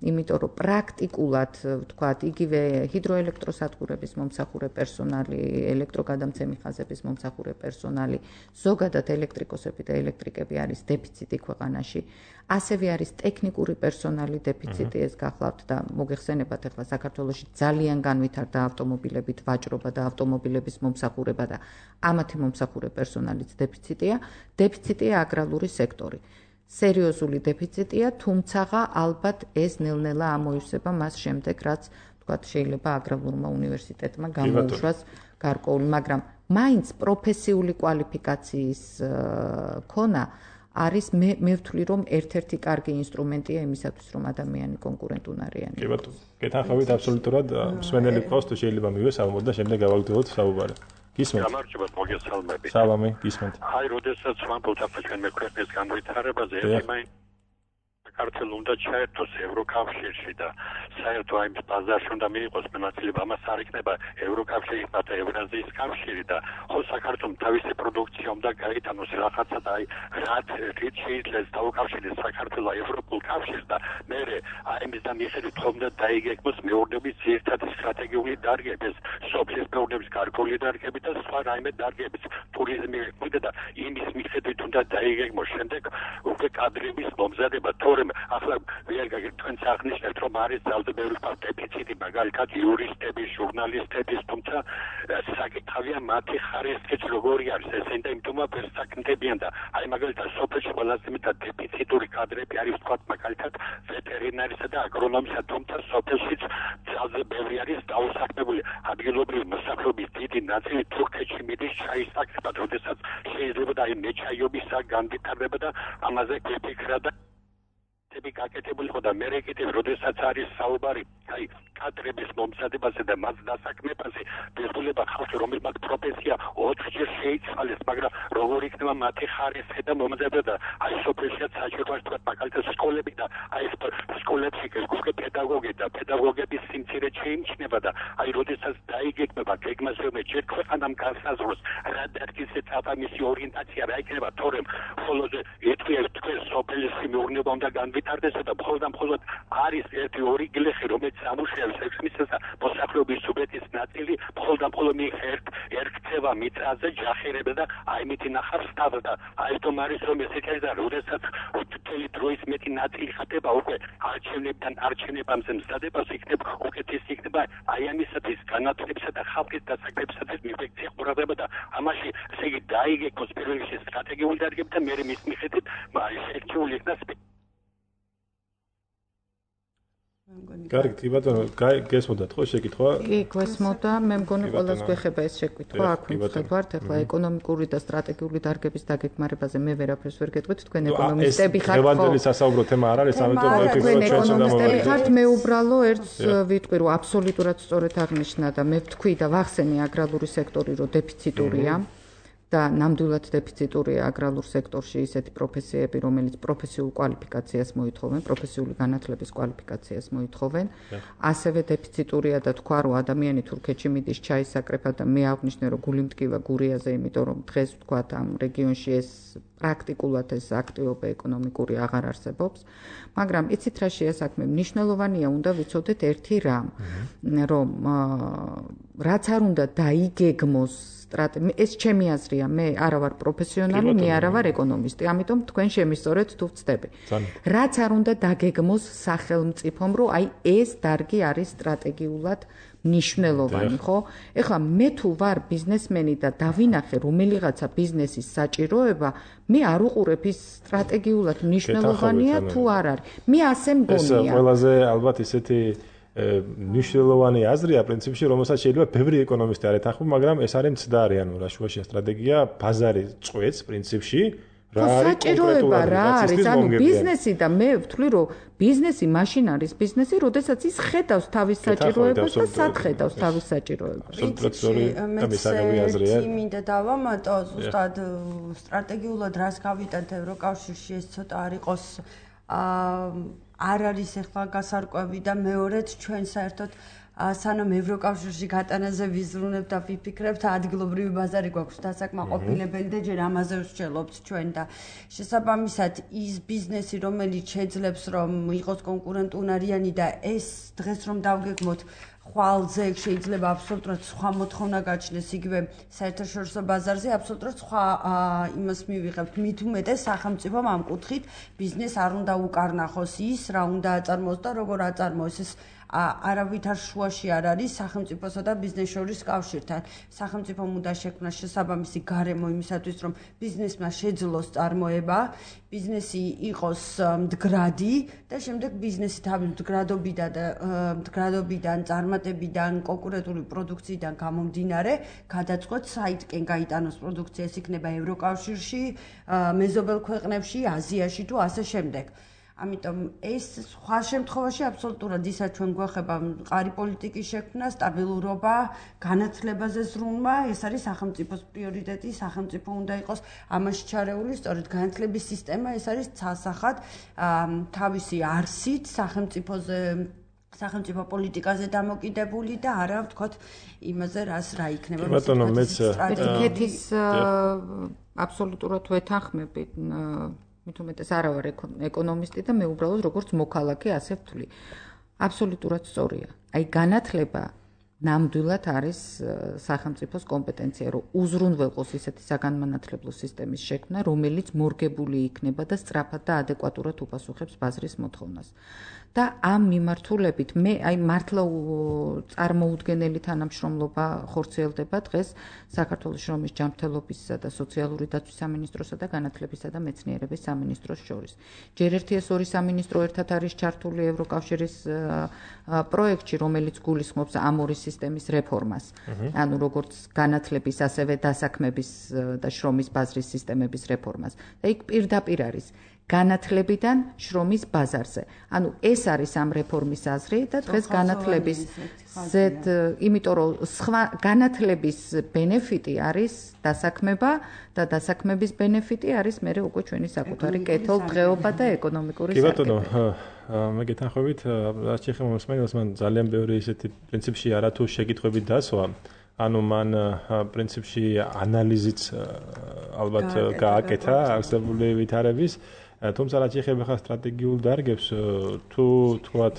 იმიტომ რომ პრაქტიკულად, ვთქვათ, იგივე ჰიდროელექტროსადგურების მომსახურე პერსონალი, ელექტროგადამცემი ხაზების მომსახურე პერსონალი, ზოგადად ელექტრიკოსები და ელექტრიკები არის დეფიციტი ქვეყანაში. ასევე არის ტექნიკური პერსონალი დეფიციტი, ეს გახლავთ და მოგეხსენებათ ახლა საქართველოში ძალიან განვითარდა ავტომობილებით ვაჭრობა და ავტომობილების მომსახურება და ამათი მომსახურე პერსონალიც დეფიციტია. დეფიციტია აგრარული სექტორი. სერიოზული დეფიციტია, თუმცა ალბათ ეს ნელ-ნელა ამოივსება მას შემდეგ, რაც თქვათ შეიძლება აგრარულმა უნივერსიტეტმა გამოუშვას გარკვეული, მაგრამ მაინც პროფესიული კვალიფიკაციის ქონა არის მე ვთვლი რომ ერთ-ერთი კარგი ინსტრუმენტია იმისათვის რომ ადამიანი კონკურენტუნარიანი. კი ბატონო, გეთანხმებით აბსოლუტურად, მსმენელი ყავს თუ შეიძლება მივესალმოთ და შემდეგ გავაგრძელოთ საუბარი. გისმენთ? გამარჯობა, მოგესალმებით. სალამი, გისმენთ. აი, როდესაც ვამბობთ ჩვენ მე ქვეყნის განვითარებაზე, ერთი საქართველოს უნდა ჩაერთოს ევროკავშირში და საერთო აი ბაზარში უნდა მიიღოს მონაწილეობა, ამას არ იქნება ევროკავშირი და ევრაზიის კავშირი და ხო საქართველოს თავისი პროდუქცია უნდა გაიტანოს რაღაცა და აი რაც შეიძლება დაუკავშირდეს საქართველოს ევროპულ კავშირს და მე აი მის და მიხედვით რომ და დაიგეგმოს მეურნეობის ძირითადი სტრატეგიული დარგები, სოფლის მეურნეობის გარკვეული დარგები და სხვა რაიმე დარგები, ტურიზმი და იმის მიხედვით უნდა დაიგეგმოს შემდეგ უკვე კადრების მომზადება, თორემ ახლა ვერ თქვენ აღნიშნეთ რომ არის ძალზე ბევრი დეფიციტი, მაგალითად იურისტების, ჟურნალისტების, თუმცა საკითხია მათი ხარისხიც როგორი არის, ესენ და იმიტომ ვერ საკმდებიან და აი მაგალითად სოფელში ყველაზე მეტად დეფიციტური კადრები არის თქვა მაგალითად ვეტერინარისა და აგრონომისა, თუმცა სოფელშიც ძალზე ბევრი არის დაუსახმებული. ადგილობრივი მოსახლეობის დიდი ნაწილი თურქეთში მიდის ჩაის საკითხად, როდესაც შეიძლება და აი მეჩაიობისა განვითარება და ამაზე გეფიქრა და გაკეთებული ხო და მე კიდევ როდესაც არის საუბარი აი კადრების მომზადებაზე და მას დასაქმებაზე, ბეზულება ხალხი რომელმაც პროფესია 4-ჯერ შეიცვალეს, მაგრამ როგორ იქნება მათი ხარისხი და მომზადება და აი სოფელშია საჭიროა თქვა მაგალითად სკოლები და აი სკოლებში უკვე პედაგოგების სიმცირე შეიმჩნევა და აი როდესაც დაიგეგმება გეგმას რომ ჯერ ქვეყანამ განსაზღვროს რა დარგის წამისი ორიენტაცია რა იქნება, თორემ მხოლოდ თქვენ სოფელის მეურნეობა უნდა განვითარდეს და მხოლოდ არის ერთი-ორი გლეხი რომელიც ამუშავებს ექსმისას და მოსახლეობის სუბიექტის ნაწილი მხოლოდ ერქცევა მიწაზე ჯახირება და აი მითი ნახავს თავად და აი თომ არის რომ ესეთი არის და როდესაც მთელი დროის მეტი ნაწილი ხდება უკვე არჩევნებამდე მზადებას იქნება უკეთესი იქნება აი ამისათვის განათლებისა და ხალხის დასაქმებისათვის მიფექცია ყურადღება და ამაში ესე იგი დაიგეგმოს პირველ რიგში სტრატეგიული დარგები და მე მის მიხედვით შეერჩეული იქნას. კარგი, კი ბატონო, გესმოდათ ხო შეკითხვა? კი, გესმოდა, მე მგონი ყველას გვეხება ეს შეკითხვა, აქ ვიმხედავთ, ახლა ეკონომიკური და სტრატეგიული დარგების დაგეგმარებაზე მე ვერაფერს ვერ გეტყვით, თქვენ ეკონომისტები ხართ ხო? დღევანდელი სასაუბრო თემა არ არის, ამიტომ თქვენ ეკონომისტები ხართ, მე უბრალო ერთს ვიტყვი, რომ აბსოლუტურად სწორედ აღნიშნა და მე ვთქვი და ვახსენე აგრარული სექტორი, რომ დეფიციტურია. და ნამდვილად დეფიციტურია აგრარულ სექტორში ისეთი პროფესიები, რომელიც პროფესიულ კვალიფიკაციას მოითხოვენ, პროფესიული განათლების კვალიფიკაციას მოითხოვენ. ასევე დეფიციტურია და თქვა, რომ ადამიანი თურქეთში მიდის ჩაისაკრება და მე აღვნიშნე, რომ გული მტკივა გურიაზე, იმიტომ რომ დღეს თქვა ამ რეგიონში ეს პრაქტიკულად ეს აქტივობა ეკონომიკური აღარ არსებობს. მაგრამ იცით რა შეა საქმე? მნიშვნელოვანია უნდა ვიცოდეთ ერთი რამ, რომ რაც არ უნდა დაიგეგმოს ეს ჩემი აზრია, მე არა ვარ პროფესიონალი, მე არა ვარ ეკონომისტი, ამიტომ თქვენ შემისწორეთ თუ ვწდები. რაც არ უნდა დაგეგმოს სახელმწიფომ, რომ აი ეს დარგი არის სტრატეგიულად მნიშვნელოვანი, ხო? ეხლა მე თუ ვარ ბიზნესმენი და დავინახე რომელიღაცა ბიზნესის საჭიროება, მე არ უყურებ ის სტრატეგიულად მნიშვნელოვანია თუ არ არის. მე ასე მგონია. ეს ყველაზე ალბათ ისეთი მნიშვნელოვანი აზრია პრინციპში, რომელსაც შეიძლება ბევრი ეკონომისტი არ ეთანხმება, მაგრამ ეს არის მცდარი, ანუ რა შუაშია სტრატეგია, ბაზარი წვეთს პრინციპში, რა არის საჭიროება რა არის, ანუ ბიზნესი და მე ვთვლი, რომ ბიზნესი მაშინ არის ბიზნესი, როდესაც ის ხედავს თავის საჭიროებას და სად ხედავს თავის საჭიროებას. მე მინდა დავამატო, ზუსტად სტრატეგიულად რას გავიტანთ ევროკავშირში, ეს ცოტა არ იყოს არ არის ახლა გასარკვევი და მეორედ ჩვენ საერთოდ სანამ ევროკავშირში გატანაზე ვიზრუნებთ და ვიფიქრებთ, ადგილობრივი ბაზარი გვაქვს დასაკმაყოფილებელი და ჯერ ამაზე ვსჯელობთ ჩვენ და შესაბამისად ის ბიზნესი, რომელიც შეძლებს რომ იყოს კონკურენტუნარიანი და ეს დღეს რომ დავგეგმოთ ხვალზე შეიძლება აბსოლუტურად სხვა მოთხოვნა გაჩნდეს იგივე საერთაშორისო ბაზარზე აბსოლუტურად სხვა იმას მივიღებთ მით უმეტეს სახელმწიფომ ამ კუთხით ბიზნეს არ უნდა უკარნახოს ის რა უნდა აწარმოოს და როგორ აწარმოოს ეს არავითარ შუაში არ არის სახელმწიფოსა და ბიზნეს შორის კავშირთან. სახელმწიფომ უნდა შექმნას შესაბამისი გარემო იმისათვის, რომ ბიზნესმა შეძლოს წარმოება, ბიზნესი იყოს მდგრადი და შემდეგ ბიზნესი თავის მდგრადობიდან, წარმატებიდან, კონკურენტული პროდუქციიდან გამომდინარე, გადაწყვეტ საითკენ გაიტანოს პროდუქცია, ეს იქნება ევროკავშირში, მეზობელ ქვეყნებში, აზიაში თუ ასე შემდეგ. ამიტომ ეს სხვა შემთხვევაში აბსოლუტურად ისაც ჩვენ გვეხება მყარი პოლიტიკის შექმნა, სტაბილურობა, განათლებაზე ზრუნვა, ეს არის სახელმწიფოს პრიორიტეტი, სახელმწიფო უნდა იყოს ამაში ჩარეული, სწორედ განათლების სისტემა, ეს არის ცალსახად თავისი არსით სახელმწიფო პოლიტიკაზე დამოკიდებული და არა ვთქვათ იმაზე რა იქნება. ბატონო, მეც ეთიკის აბსოლუტურად ვეთანხმებით. მით უმეტეს არა ვარ ეკონომისტი და მე უბრალოდ როგორც მოქალაქე ასე ვთვლი. აბსოლუტურად სწორია. აი განათლება ნამდვილად არის სახელმწიფოს კომპეტენცია, რომ უზრუნველყოს ისეთი საგანმანათლებლო სისტემის შექმნა, რომელიც მორგებული იქნება და სწრაფად და ადეკვატურად უპასუხებს ბაზრის მოთხოვნას. და ამ მიმართულებით მე აი მართლა წარმოუდგენელი თანამშრომლობა ხორციელდება დღეს საქართველოს შრომის ჯანმრთელობისა და სოციალური დაცვის სამინისტროსა და განათლებისა და მეცნიერების სამინისტროს შორის. ჯერ ერთი ეს ორი სამინისტრო ერთად არის ჩართული ევროკავშირის პროექტში, რომელიც გულისხმობს ამ ორი სისტემის რეფორმას. ანუ როგორც განათლების, ასევე დასაქმების და შრომის ბაზრის სისტემების რეფორმას. და იქ პირდაპირ არის განათლებიდან შრომის ბაზარზე. ანუ ეს არის ამ რეფორმის აზრი და დღეს განათლების იმიტომ რომ სხვა განათლების ბენეფიტი არის დასაქმება და დასაქმების ბენეფიტი არის მე უკვე ჩვენი საკუთარი კეთილდღეობა და ეკონომიკური სარგებლობა. კი ბატონო, მე გეთანხმებით, რაც შეეხება მოსმენელს, მან ძალიან ბევრი ისეთი პრინციპში არათუ შეკითხვები დასვა. ანუ მან პრინციპში ანალიზიც ალბათ გააკეთა არსებული ვითარების, თუმცა რაც შეეხება ხა სტრატეგიულ დარგებს, თუ თქვათ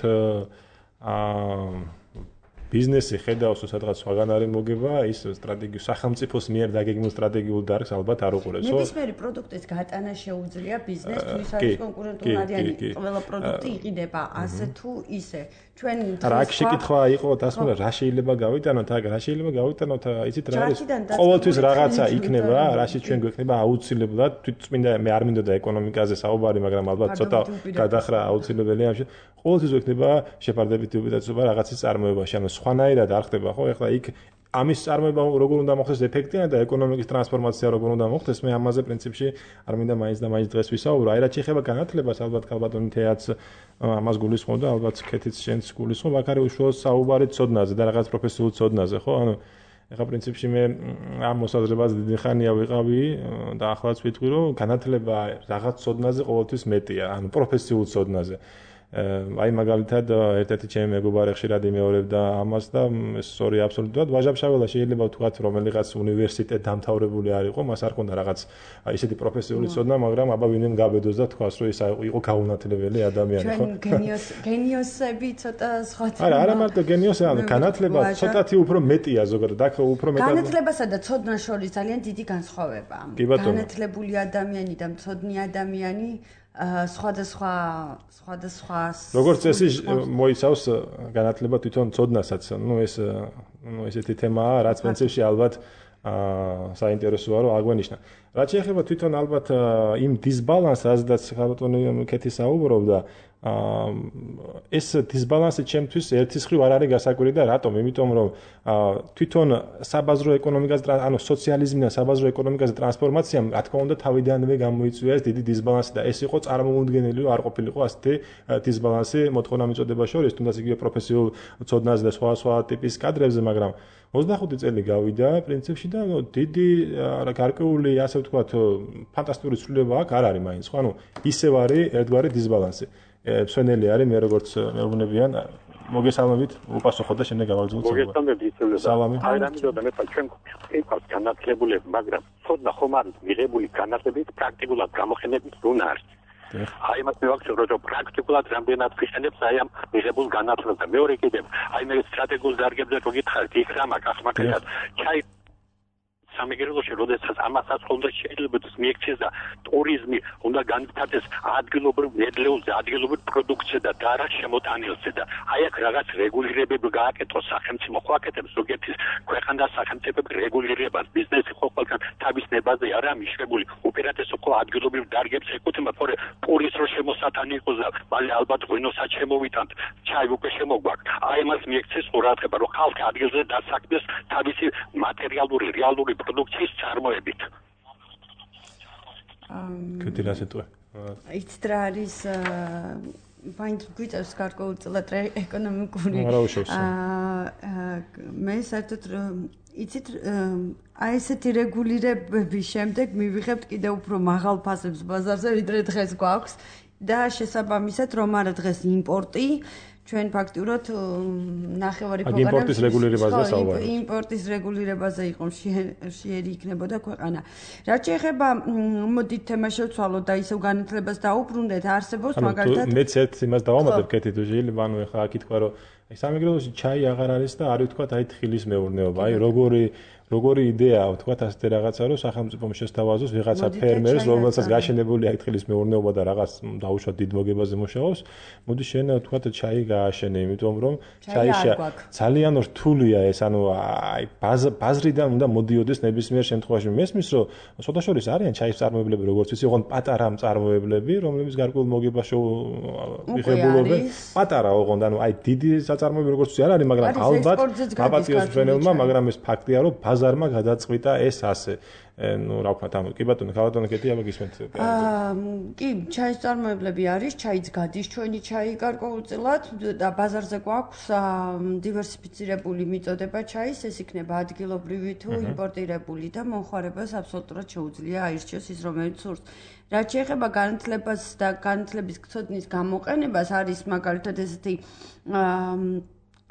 ბიზნესი ხედავს თუ სადღაც სხვაგან არის მოგება, ის სტრატეგიულ სახელმწიფოს მიერ დაგეგმილ სტრატეგიულ დარგს ალბათ არ უყურებს, ხო? ნებისმიერი პროდუქტის გატანა შეუძლია ბიზნესს, თუ ის არის კონკურენტული არიანი, ყველა პროდუქტი იყიდება ასე თუ ისე. ჩვენ რა შეკითხვა იყო დასმენა რა შეიძლება გავიტანოთ, რა შეიძლება გავიტანოთ, იცით რა არის? ყოველთვის რაღაცა იქნება, რაში ჩვენ გვექნება აუცილებლად, თვითწმინდა მე არ მინდოდა ეკონომიკაზე საუბარი, მაგრამ ალბათ ცოტა გადახრა აუცილებელია ამაში. ყოველთვის გვექნება შეფარდებითი უბედაცობა რაღაცის წარმოებაში, ანუ სხვანაირად არ ხდება, ხო? ეხლა იქ ამის წარმოება როგორ უნდა მოხდეს ეფექტიანად და ეკონომიკის ტრანსფორმაცია როგორ უნდა მოხდეს, მე ამაზე პრინციპში არ მინდა მაინც და მაინც დღეს ვისაუბრო. აი რა შეიძლება განათლებას ალბათ ქალბატონი თეაც ამას გულისხმობ და ალბათ ქეთიც შენც გულისხმობ, აქ არის უშუალოდ საუბარი ცოდნაზე და რაღაც პროფესიულ ცოდნაზე, ხო? ანუ ეხლა პრინციპში მე ამ მოსაზრებას დიდი ხანია ვიყავი და ახლაც ვიტყვი, რომ განათლება რაღაც ცოდნაზე ყოველთვის მეტია, ანუ პროფესიულ ცოდნაზე. აი მაგალითად ერთ-ერთი ჩემი მეგობარი ხშირად იმეორებდა ამას და ეს სწორი აბსოლუტურად ვაჟაბშაველა შეიძლება ვთქვათ რომელიღაც უნივერსიტეტ დამთავრებული არ იყო, მას არ ჰქონდა რაღაც ისეთი პროფესიული ცოდნა, მაგრამ აბა ვინმე გაბედოს და თქვას რომ ის იყო გაუნათლებელი ადამიანი, ხო? ჩვენ გენიოსები ცოტა სხვა. არა მარტო გენიოსი, ანუ განათლება ცოტათი უფრო მეტია ზოგადად, აქ უფრო მეტად განათლებასა და ცოდნას შორის ძალიან დიდი განსხვავებაა. განათლებული ადამიანი და მცოდნი ადამიანი სხვადასხვა როგორც წესი მოიცავს განათლება თვითონ ცოდნასაც. ესეთი თემაა, რაც პრინციპში ალბათ საინტერესოა რომ აგვენიშნა. რაც შეეხება თვითონ ალბათ იმ დისბალანსს, რაზედაც ქალბატონი კეთი საუბრობდა, ეს დისბალანსი ჩემთვის ერთის მხრივ არ არის გასაკვირი და რატომ? იმიტომ რომ თვითონ საბაზრო ეკონომიკას, ანუ სოციალიზმიდან საბაზრო ეკონომიკაზე ტრანსფორმაციამ, რა თქმა უნდა, თავიდანვე გამოიწვია ეს დიდი დისბალანსი და ეს იყო წარმოუდგენელი, რომ არ ყოფილიყო ასეთი დისბალანსი მოთხოვნა მიწოდება შორის, თუნდაც იგივე პროფესიულ ცოდნაზე და სხვა ტიპის კადრებზე, მაგრამ 25 წელი გავიდა პრინციპში და დიდი გარკვეული, ასე ვთქვათ, ფანტასტიკური ცვლილება აქ არ არის მაინც, ხო? ანუ ისევ არის ერთგვარი დისბალანსი. მსვენელი არის მე როგორც მეუბნებიან მოგესალმებით უპასუხოთ და შემდეგ გავაგზავნოთ მოგესალმებით სალამი აი რამოდენმე მე ჩვენ ყავს განათლებულები მაგრამ ცოდნა ხომ არის მიღებული განათლებით პრაქტიკულად გამოყენებით უნდა არის აი მას მე ვაქცევ რომ პრაქტიკულად რამდენად ფიქრებს აი ამ მიღებულ განათლებას და მეორე კიდევ აი მე სტრატეგიულ დარგებზე რო გითხარით იქ რა მაგახმაკეთად ჩაი სამეგრელოში როდესაც ამასაც უნდა შეიძლება მიექცეს და ტურიზმი უნდა განვითარდეს ადგილობრივ ნედლეულზე, ადგილობრივ პროდუქციაზე და არა შემოტანილზე და აი აქ რაღაც რეგულირებები გააკეთოს სახელმწიფო ხო აკეთებს ზოგიერთი ქვეყანას სახელმწიფოები რეგულირებას ბიზნესი ხო ყველგან თავის ნებაზე არა მიშვებული უპირატესო ხო ადგილობრივ დარგებს ეკუთვნება თორე პურის რო შემოსატანი იყოს და მალე ალბათ ღვინოსაც შემოვიტანთ ჩაი უკვე შემოგვაქვს აი მას მიექცეს ყურადღება რომ ხალხი ადგილზე დასაქმდეს თავისი მატერიალური რეალური პროდუქციის წარმოებით. კეთილასეთვე. იცით რა არის მაინც გვიწევს გარკვეულწილად ეკონომიკური მე საერთოდ იცით აი ესეთი რეგულირებების შემდეგ მივიღებთ კიდევ უფრო მაღალ ფასებს ბაზარზე ვიდრე დღეს გვაქვს და შესაბამისად რომ არა დღეს იმპორტი ჩვენ ფაქტურად ნახევარი ქვეყანა იმპორტის რეგულირებაზე საუბარი. იმპორტის რეგულირებაზე იყო შეერი იქნებოდა ქვეყანა. რაც შეეხება მოდით თემა შევცვალოთ და ისევ განათლებას დაუბრუნდეთ, არსებობს მაგალითად მეც ერთ იმას დავამატებ კეთი თუ შეიძლება ანუ ეხლა აქ ითქვა რომ აი სამეგრელოში ჩაი აღარ არის და არ ვთქვათ აი თხილის მეურნეობა. აი როგორი იდეაა ვთქვათ ასეთი რაღაცა რომ სახელმწიფომ შესთავაზოს ვიღაცა ფერმერს რომელსაც გაშენებული აი თხილის მეურნეობა და რაღაც დაუშვათ დიდ მოგებაზე მუშაობს მოდი შენ ვთქვათ ჩაი გააშენე იმიტომ რომ ჩაი ძალიან რთულია ეს ანუ აი ბაზრიდან უნდა მოდიოდეს ნებისმიერ შემთხვევაში მესმის რომ სოდაშორის არიან ჩაის წარმოებლები როგორც ვიცი ოღონდ პატარა მწარმოებლები რომლებიც გარკვეულ მოგებაში მიღებულობენ პატარა ოღონდ ანუ აი დიდი საწარმოები როგორც ვიცი არ არის მაგრამ ალბათ აპატიოს ფრენელმა მაგრამ ეს ფაქტია რომ ბაზარმა გადაწყვიტა ეს ასე. ნუ რა ვქნათ ამ კი ბატონო, ქალბატონო კეთი აბა გისმენთ. კი, ჩაის წარმოებლები არის, ჩაიც გადის ჩვენი ჩაი გარკვეულწილად და ბაზარზე გვაქვს დივერსიფიცირებული მიწოდება ჩაის, ეს იქნება ადგილობრივი თუ იმპორტირებული და მომხმარებას აბსოლუტურად შეუძლია აირჩიოს ის რომელიც სურს. რაც შეეხება განათლებას და განათლების ცოდნის გამოყენებას არის მაგალითად ესეთი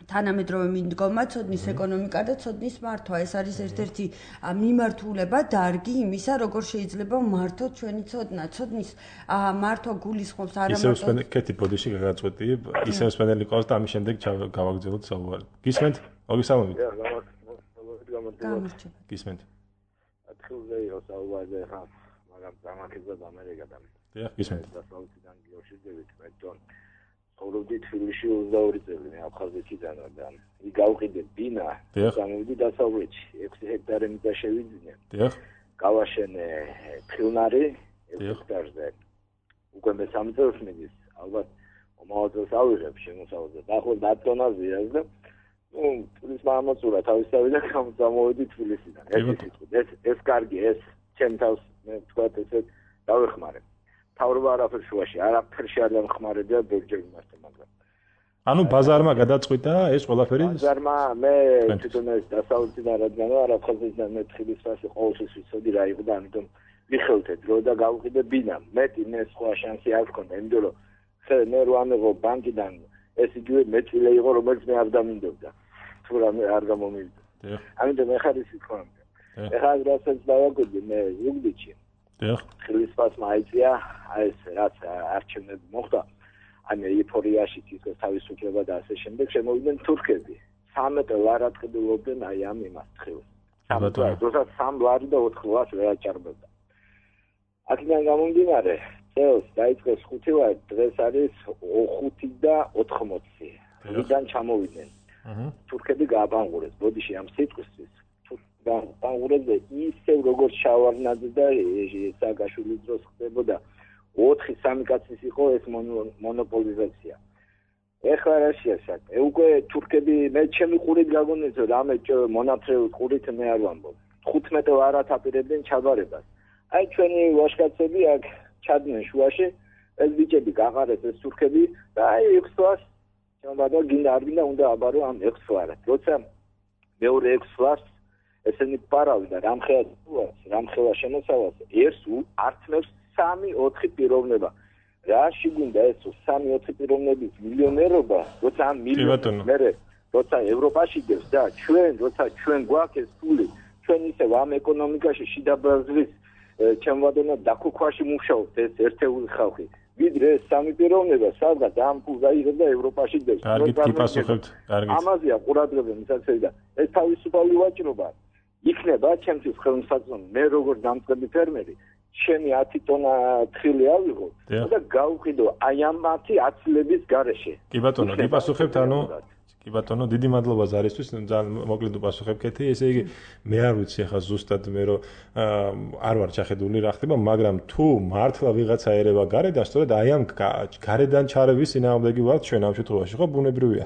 თანამედროვე მიდგომა, ცოდნის ეკონომიკა და ცოდნის მართვა. ეს არის ერთ-ერთი მიმართულება, დარგი იმისა, როგორ შეიძლება მართოთ ჩვენი ცოდნა. ცოდნის მართვა გულისხმობს არა მარტო ისევ კეთი ბოდიში გაგაწყვეტი, ისევ სპენელი ყავს და ამის შემდეგ გავაგრძელოთ საუბარი. გისმენთ? მოგესალმებით. გისმენთ. ათხილზე იყო საუბარი ხა, მაგრამ დამაკიდება ამერიკიდან. დიახ, გისმენთ. დასავლეთიდან გიოშიძებით მეტონ. ცხოვრობდი თბილისში 22 წელი, მე აფხაზეთიდან და გავყიდე ბინა, გამოვიდი დასავლეთში, 6 ჰექტარი მიწა შევიძინე. დიახ. გავაშენე ფილნარი 6 ჰექტარზე. უკვე მე 3 წელს მიდის, ალბათ მომავალ წელს ავიღებ შემოსავალზე. დაახლოებით 10 ტონაზეა და ის მამაცურა თავისთავად და გამოვიდი თბილისიდან. ეს კარგი, ეს ჩემ თავს მე თქვა ესე დავეხმარე. თავრობა არაფერ შუაში, არაფერში არ დამხმარებია ბერჯერ იმასთან, მაგრამ ანუ ბაზარმა გადაწყვიტა ეს ყველაფერი? ბაზარმა მე თვითონ ეს დასავლეთიდან რადგან არ აფხაზეთიდან მე თხილის ფასი ყოველთვის ვიცოდი რა იყო და ამიტომ მიხელთე დრო და გავყიდე ბინა. მეტი მე სხვა შანსი არ მქონდა, იმიტომ რომ მე რო ამეღო ბანკიდან ეს იგივე მეწილე იყო, რომელიც მე არ დამინდობდა. თუ რამე არ გამომივიდა. ამიტომ მე ხარისი თქვამდა. ეხლა რასაც დავაგოდი მე ზუგდიდში. დიახ. ხილის ფასმა აიწია, ეს რაც არჩევნები მოხდა. ანუ ეიფორიაში თითქოს თავისუფლება და ასე შემდეგ შემოვიდნენ თურქები. 13 ლარ ატყიდულობდნენ აი ამ იმას თხილს. როდესაც 3 ლარი და 4 ლარს ვერ აჭარბებდა. აქედან გამომდინარე, წელს დაიწყეს 5 ლარი, დღეს არის 5 და 80. ვიდან ჩამოვიდნენ. თურქები გააბანღურეს, ბოდიში ამ სიტყვისთვის. ბანღურებზე ისევ როგორც შავარნაძე და სააგაშვილის დროს ხდებოდა 4-3 კაცის იყო ეს მონოპოლიზაცია. ეხლა რა შეასაკ? უკვე თურქები მე ჩემი ყურით გაგონიძო რამე მონათრეულ ყურით მე არ ვამბობ. 15 ლარად აპირებდნენ ჩაბარებას. აი ჩვენი ვაშკაცები აქ ჩადნენ შუაში, ეს ბიჭები გაყარეს ეს თურქები და აი 6 ლარს შემოდა გინდა არ გინდა უნდა აბარო ამ 6 ლარად. როცა მეორე 6 ლარს ესენი პარავი და რამხელა შემოსავალს ერთს ართმევს 3-4 პიროვნება. რაში გინდა ეს 3-4 პიროვნების მილიონერობა, როცა ამ მილიონერს მე როცა ევროპაში დევს და როცა ჩვენ გვაქვს ეს ფული, ჩვენ ისევ ამ ეკონომიკაში შიდა ბაზრის ჩემვადონა დაკუქვაში მუშაობთ ეს ერთეული ხალხი. ვიდრე ეს 3 პიროვნება სადღაც ამ ფულს აიღებს და ევროპაში დევს. კარგით გიპასუხებთ, კარგით. ამაზეა ყურადღება მისაცემი და ეს თავისუფალი ვაჭრობა იქნება ჩემთვის ხელმისაწვდომი. მე როგორც დამწყები ფერმერი ჩემი 10 ტონა თხილი ავიღო და გავყიდო აი ამ 10 აცილების გარეშე. კი ბატონო, გიპასუხებთ, ანუ კი ბატონო, დიდი მადლობა ზარისთვის, ძალიან მოკლედ უპასუხებ კეთი, ესე იგი მე არ ვიცი ახლა ზუსტად მე რომ არ ვარ ჩახედული რა ხდება, მაგრამ თუ მართლა ვიღაცა ერევა გარედან, სწორედ აი ამ გარედან ჩარევის წინააღმდეგი ვართ ჩვენ ამ შემთხვევაში, ხო, ბუნებრივია.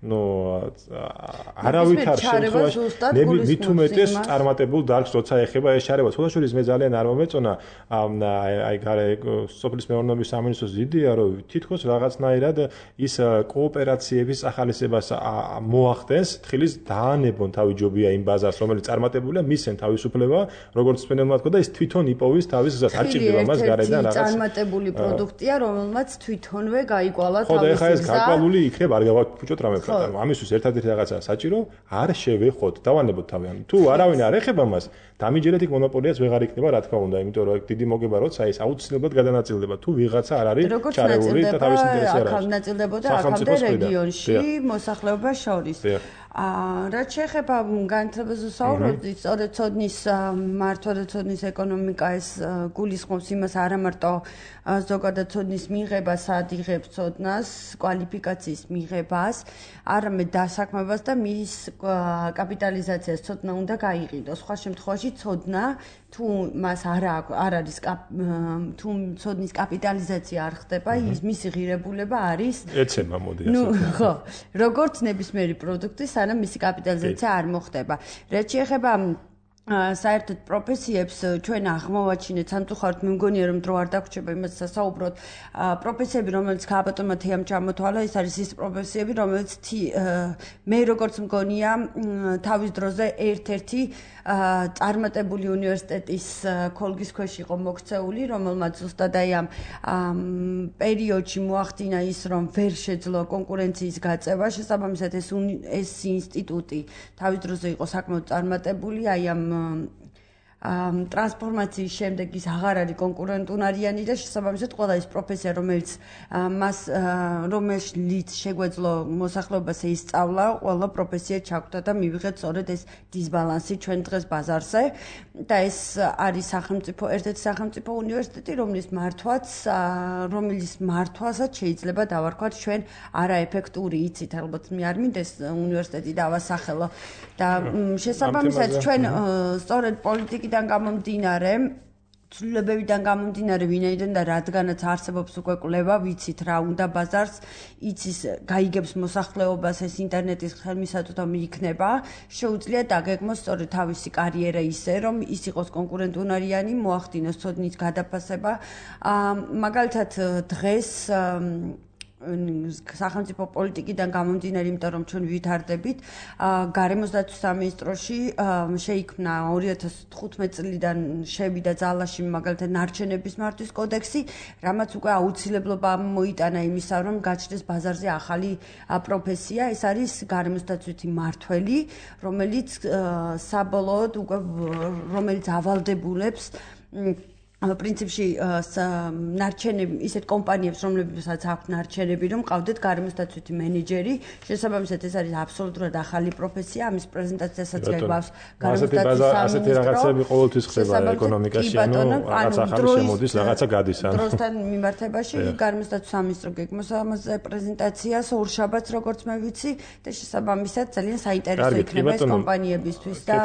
ნუ არავითარ შემთხვევაში მე მით უმეტეს წარმატებულ დარგს როცა ეხება ეს ჩარევა. თუნდაც მე ძალიან არ მომეწონა აი გარე სოფლის მეურნეობის სამინისტროს იდეა, რომ თითქოს რაღაცნაირად ის კოოპერაციების ახალისებას მოახდენს, თხილის დაანებონ თავი ჯობია იმ ბაზარს, რომელიც წარმატებულია, მისცენ თავისუფლება, როგორც სპენელმა თქვა და ის თვითონ იპოვის თავის გზას. არ ჭირდება მას გარედან რაღაც წარმატებული პროდუქტია, რომელმაც თვითონვე გაიკვალა თავის გზა. ხო, და ეხლა ეს გაკვალული იქნება, არ გავაფუჭოთ რამე ფრატა. ამისთვის ერთადერთი რაღაცაა საჭირო, არ შევეხოთ, დავანებოთ თავი. თუ არავინ არ ეხება მას, დამიჯერეთ იქ მონოპოლიაც ვეღარ იქნება, რა თქმა უნდა, იმიტომ რომ დიდი მოგება როცა ეს აუცილებლად გადანაწილდება. თუ ვიღაცა არ არის ჩარეული და თავის ინტერესი არ არის. ნაწილდებოდა აქამდე რეგიონში მოსახლეობა შორის. რაც შეეხება განათლებას ვსაუბრობთ, სწორედ ცოდნის მართვა და ცოდნის ეკონომიკა ეს გულისხმობს იმას არა მარტო ზოგადად ცოდნის მიღებას, სად იღებს ცოდნას, კვალიფიკაციის მიღებას, არამედ დასაქმებას და მის კაპიტალიზაციას ცოდნა უნდა გაიყიდოს. სხვა შემთხვევაში ცოდნა თუ მას არ არის თუ ცოდნის კაპიტალიზაცია არ ხდება, მისი ღირებულება არის ეცემა მოდი ასე. ხო, როგორც ნებისმიერი პროდუქტი, სანამ მისი კაპიტალიზაცია არ მოხდება. რაც შეეხება საერთოდ პროფესიებს ჩვენ აღმოვაჩინეთ სამწუხაროდ მე მგონია რომ დრო არ დაგვრჩება იმას სასაუბროთ პროფესიები რომელიც გააბატონმა თეამ ჩამოთვალა ის არის ის პროფესიები რომელიც მე როგორც მგონია თავის დროზე ერთ-ერთი წარმატებული უნივერსიტეტის ქოლგის ქვეშ იყო მოქცეული რომელმაც ზუსტად აი ამ პერიოდში მოახდინა ის რომ ვერ შეძლო კონკურენციის გაწევა შესაბამისად ეს ინსტიტუტი თავის დროზე იყო საკმაოდ წარმატებული აი ამ ტრანსფორმაციის შემდეგ ის აღარ არის კონკურენტუნარიანი და შესაბამისად ყველა ის პროფესია რომელიც რომელშიც შეგვეძლო მოსახლეობას ისწავლა ყველა პროფესია ჩაგვდა და მივიღეთ სწორედ ეს დისბალანსი ჩვენ დღეს ბაზარზე და ეს არის სახელმწიფო ერთ-ერთი სახელმწიფო უნივერსიტეტი რომლის მართვასაც შეიძლება დავარქვათ ჩვენ არაეფექტური იცით ალბათ მე არ მინდეს უნივერსიტეტი დავასახელო და შესაბამისად ჩვენ სწორედ პოლიტიკიდან გამომდინარე ცვლილებებიდან გამომდინარე ვინაიდან და რადგანაც არსებობს უკვე კვლევა ვიცით რა უნდა ბაზარს იცის გაიგებს მოსახლეობას ეს ინტერნეტის ხელმისაწვდომი იქნება შეუძლია დაგეგმოს სწორედ თავისი კარიერა ისე რომ ის იყოს კონკურენტუნარიანი მოახდინოს ცოდნის გადაფასება მაგალითად დღეს სახელმწიფო პოლიტიკიდან გამომდინარე, იმიტომ რომ ჩვენ ვითარდებით, გარემოს დაცვის სამინისტროში შეიქმნა 2015 წლიდან შევიდა ძალაში მაგალითად ნარჩენების მართვის კოდექსი, რამაც უკვე აუცილებლობა მოიტანა იმისა, რომ გაჩნდეს ბაზარზე ახალი პროფესია, ეს არის გარემოს დაცვითი მმართველი, რომელიც საბოლოოდ უკვე რომელიც ავალდებულებს პრინციპში ნარჩენები ისეთ კომპანიებს რომლებსაც აქვთ ნარჩენები რომ ყავდეთ გარემოს დაცვითი მენეჯერი შესაბამისად ეს არის აბსოლუტურად ახალი პროფესია ამის პრეზენტაციასაც გაიგავს გარემოს დაცვის სამინისტრო ასეთი რაღაცები ყოველთვის ხდება ეკონომიკაში ანუ რაღაც ახალი შემოდის რაღაცა გადის ანუ დროსთან მიმართებაში გარემოს დაცვის სამინისტრო გეგმავს ამაზე პრეზენტაციას ორშაბათს როგორც მე ვიცი და შესაბამისად ძალიან საინტერესო იქნება ეს კომპანიებისთვის და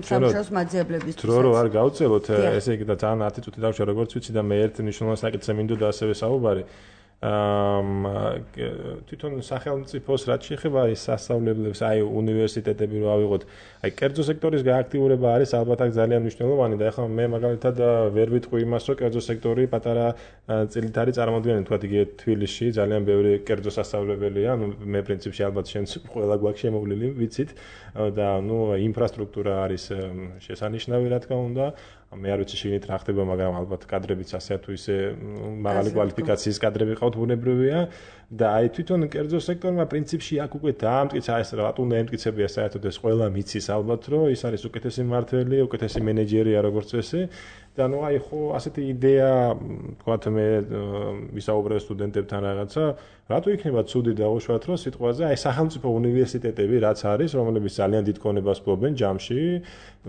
სამუშაოს მაძიებლებისთვის დრო რო არ გავწელოთ ესე იგი და ძალიან ათი დავშა როგორც ვიცი და მე ერთ მნიშვნელოვან საკითხზე მინდოდა ასევე საუბარი თვითონ სახელმწიფოს რაც შეეხება ის სასწავლებლებს აი უნივერსიტეტები რო ავიღოთ აი კერძო სექტორის გააქტიურება არის ალბათ აქ ძალიან მნიშვნელოვანი და ახლა მე მაგალითად ვერ ვიტყვი იმას რომ კერძო სექტორი პატარა წილით არის წარმოადგენელი თქვა იგივე თბილისში ძალიან ბევრი კერძო სასწავლებელია ანუ მე პრინციპში ალბათ შენც ყველა გვაქვს შემოვლილი ვიცით და ნუ ინფრასტრუქტურა არის შესანიშნავი რა თქმა უნდა მე არ ვიცი შეგინით რა ხდება მაგრამ ალბათ კადრებიც ასე თუ ისე მაღალი კვალიფიკაციის კადრები ყავთ ბუნებრივია და აი თვითონ კერძო სექტორმა პრინციპში აქ უკვე დაამტკიცა ეს რატომ უნდა ემტკიცებია საერთოდ ეს ყველა მიცის ალბათ რომ ის არის უკეთესი მმართველი უკეთესი მენეჯერია როგორც ესე და ნუ აი ხო ასეთი იდეა თქვათ მე ვისაუბრე სტუდენტებთან რაღაცა რატო იქნება ცუდი დაუშვათ რომ სიტყვაზე აი სახელმწიფო უნივერსიტეტები რაც არის რომლებიც ძალიან დიდ ქონებას ფლობენ ჯამში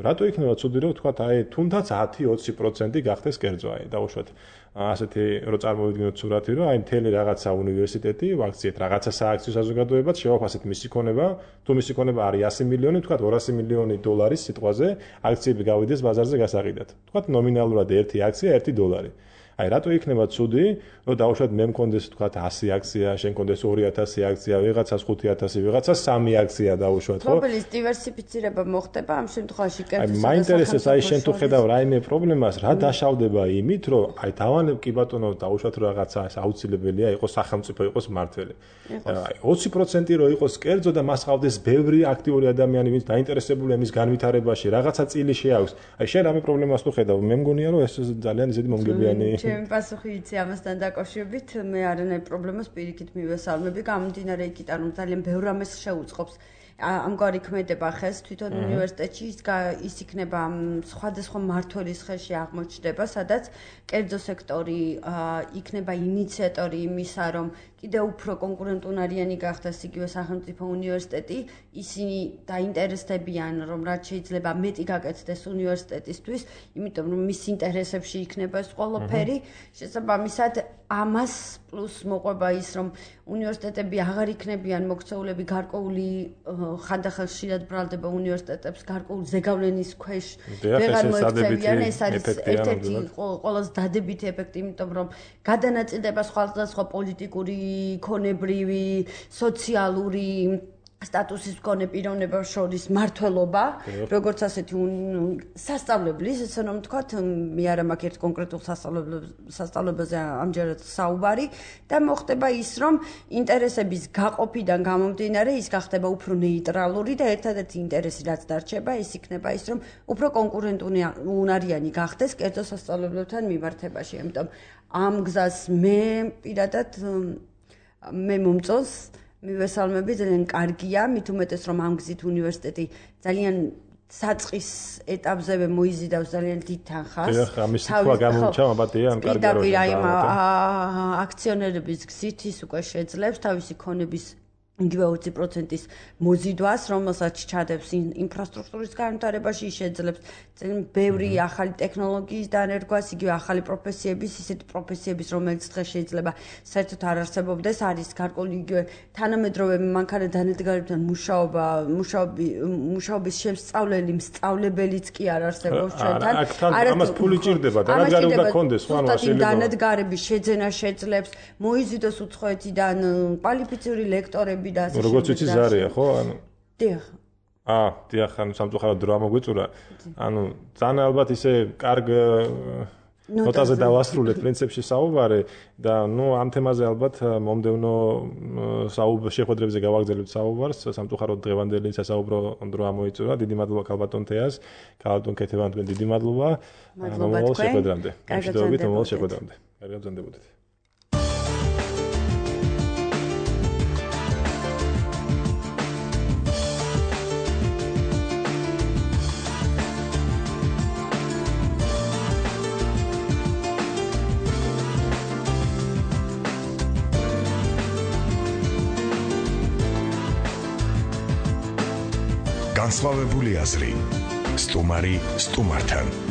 რატო იქნება ცუდი რომ თქვათ აი თუნდაც 10-20% გახდეს კერძო აი დაუშვათ ასეთი რო წარმოვიდგინოთ სურათი რომ აი მთელი რაღაცა უნივერსიტეტი ვაქციეთ რაღაცა სააქციო საზოგადოებად შევაფასეთ მისი ქონება თუ მისი ქონება არის 100 მილიონი თქვათ 200 მილიონი დოლარის სიტყვაზე აქციები გავიდეს ბაზარზე გასაყიდად თქვათ ნომინალურად ერთი აქცია $1 აი რატო იქნება ცუდი რომ დაუშვათ მე მქონდეს თქვათ 100 აქცია შენ მქონდეს 2000 აქცია ვიღაცას 5000 ვიღაცას 3 აქცია დაუშვათ ხო პრობლემის დივერსიფიცირება მოხდება ამ შემთხვევაში კერძო აი მაინტერესებს აი შენ თუ ხედავ რაიმე პრობლემას რა დაშავდება იმით რომ აი დავანებ კი ბატონო დაუშვათ რომ რაღაცა აუცილებელია იყოს სახელმწიფო იყოს მმართველი აი 20% რო იყოს კერძო და მას ყავდეს ბევრი აქტიური ადამიანი ვინც დაინტერესებულია მის განვითარებაში რაღაცა წილი შეაქვს აი შენ რამე პრობლემას თუ ხედავ მე მგონია რომ ეს ძალიან ისეთი მომგებიანი ჩემი პასუხი იცი ამასთან დაკავშირებით მე არანაირ პრობლემას პირიქით მივესალმები გამომდინარე იქიდან რომ ძალიან ბევრ რამეს შეუწყობს ამგვარი ქმედება ხეს თვითონ უნივერსიტეტში ის იქნება სხვადასხვა მმართველის ხელში აღმოჩნდება სადაც კერძო სექტორი იქნება ინიციატორი იმისა რომ კიდევ უფრო კონკურენტუნარიანი გახდეს იგივე სახელმწიფო უნივერსიტეტი ისინი დაინტერესდებიან რომ რაც შეიძლება მეტი გაკეთდეს უნივერსიტეტისთვის იმიტომ რომ მის ინტერესებში იქნება ეს ყველაფერი შესაბამისად ამას პლუს მოყვება ის რომ უნივერსიტეტები აღარ იქნებიან მოქცეულები გარკვეული ხანდახან ხშირად ბრალდება უნივერსიტეტებს გარკვეული ზეგავლენის ქვეშ ვეღარ მოექცევიან ეს არის ერთ-ერთი ყველაზე დადებითი ეფექტი იმიტომ რომ გადანაწილდება სხვადასხვა პოლიტიკური, იქონებრივი, სოციალური სტატუსის მქონე პიროვნებებს შორის მართლობა, როგორც ასეთი სასწავლებლის, ესე რომ ვთქვათ, მე არა მაქვს ერთ კონკრეტულ სასწავლებელზე ამჯერად საუბარი და მოხდება ის, რომ ინტერესების გაყოფიდან გამომდინარე ის გახდება უფრო ნეიტრალური და ერთადერთი ინტერესი რაც დარჩება, ის იქნება ის, რომ უფრო კონკურენტუნარიანი გახდეს კერძო სასწავლებლებთან მიმართებაში. ამიტომ ამ გზას მე პირადად მე მომწონს მივესალმები, ძალიან კარგია, მით უმეტეს რომ ამ გზით უნივერსიტეტი ძალიან საწყის ეტაპზევე მოიზიდავს ძალიან დიდ თანხას. ამის თქვა გამომჩა, აბატია, ამ კარგია რომ აქციონერების გზით ის უკვე შეძლებს თავისი ქონების იგივე 20%-ის მოზიდვას, რომელსაც ჩადებს ინფრასტრუქტურის განვითარებაში, შეძლებს ბევრი ახალი ტექნოლოგიის დანერგვას, იგივე ახალი პროფესიების, ისეთი პროფესიების, რომელიც დღეს შეიძლება საერთოდ არ არსებობდეს, არის გარკვეული იგივე თანამედროვე მანქანა დანადგარებთან მუშაობის შემსწავლელი, მსწავლებელიც კი არ არსებობს ჩვენთან. ამას ფული ჭირდება, დანადგარი უნდა კონდეს, ხო, ანუ შეიძლება დანადგარების შეძენა შეძლებს, მოიზიდოს უცხოეთიდან კვალიფიციური ლექტორები როგორც ვიცი ზარია, ხო? ანუ დიახ. დიახ, ანუ სამწუხაროდ დრო ამოგვიწურა. ანუ ძალიან ალბათ ისე კარგ ნოტაზე დავასრულეთ პრინციპში საუბარი და ამ თემაზე ალბათ მომდევნო შეხვედრებზე გავაგრძელებთ საუბარს. სამწუხაროდ დღევანდელი სასაუბრო დრო ამოიწურა. დიდი მადლობა ქალბატონ თეას, ქალბატონ ქეთევან, თქვენ დიდი მადლობა. მომავალ შეხვედრამდე. გამშვიდობებით მომავალ შეხვედრამდე. კარგად ბრძანდებოდეთ. განსხვავებული აზრი. სტუმარი სტუმართან.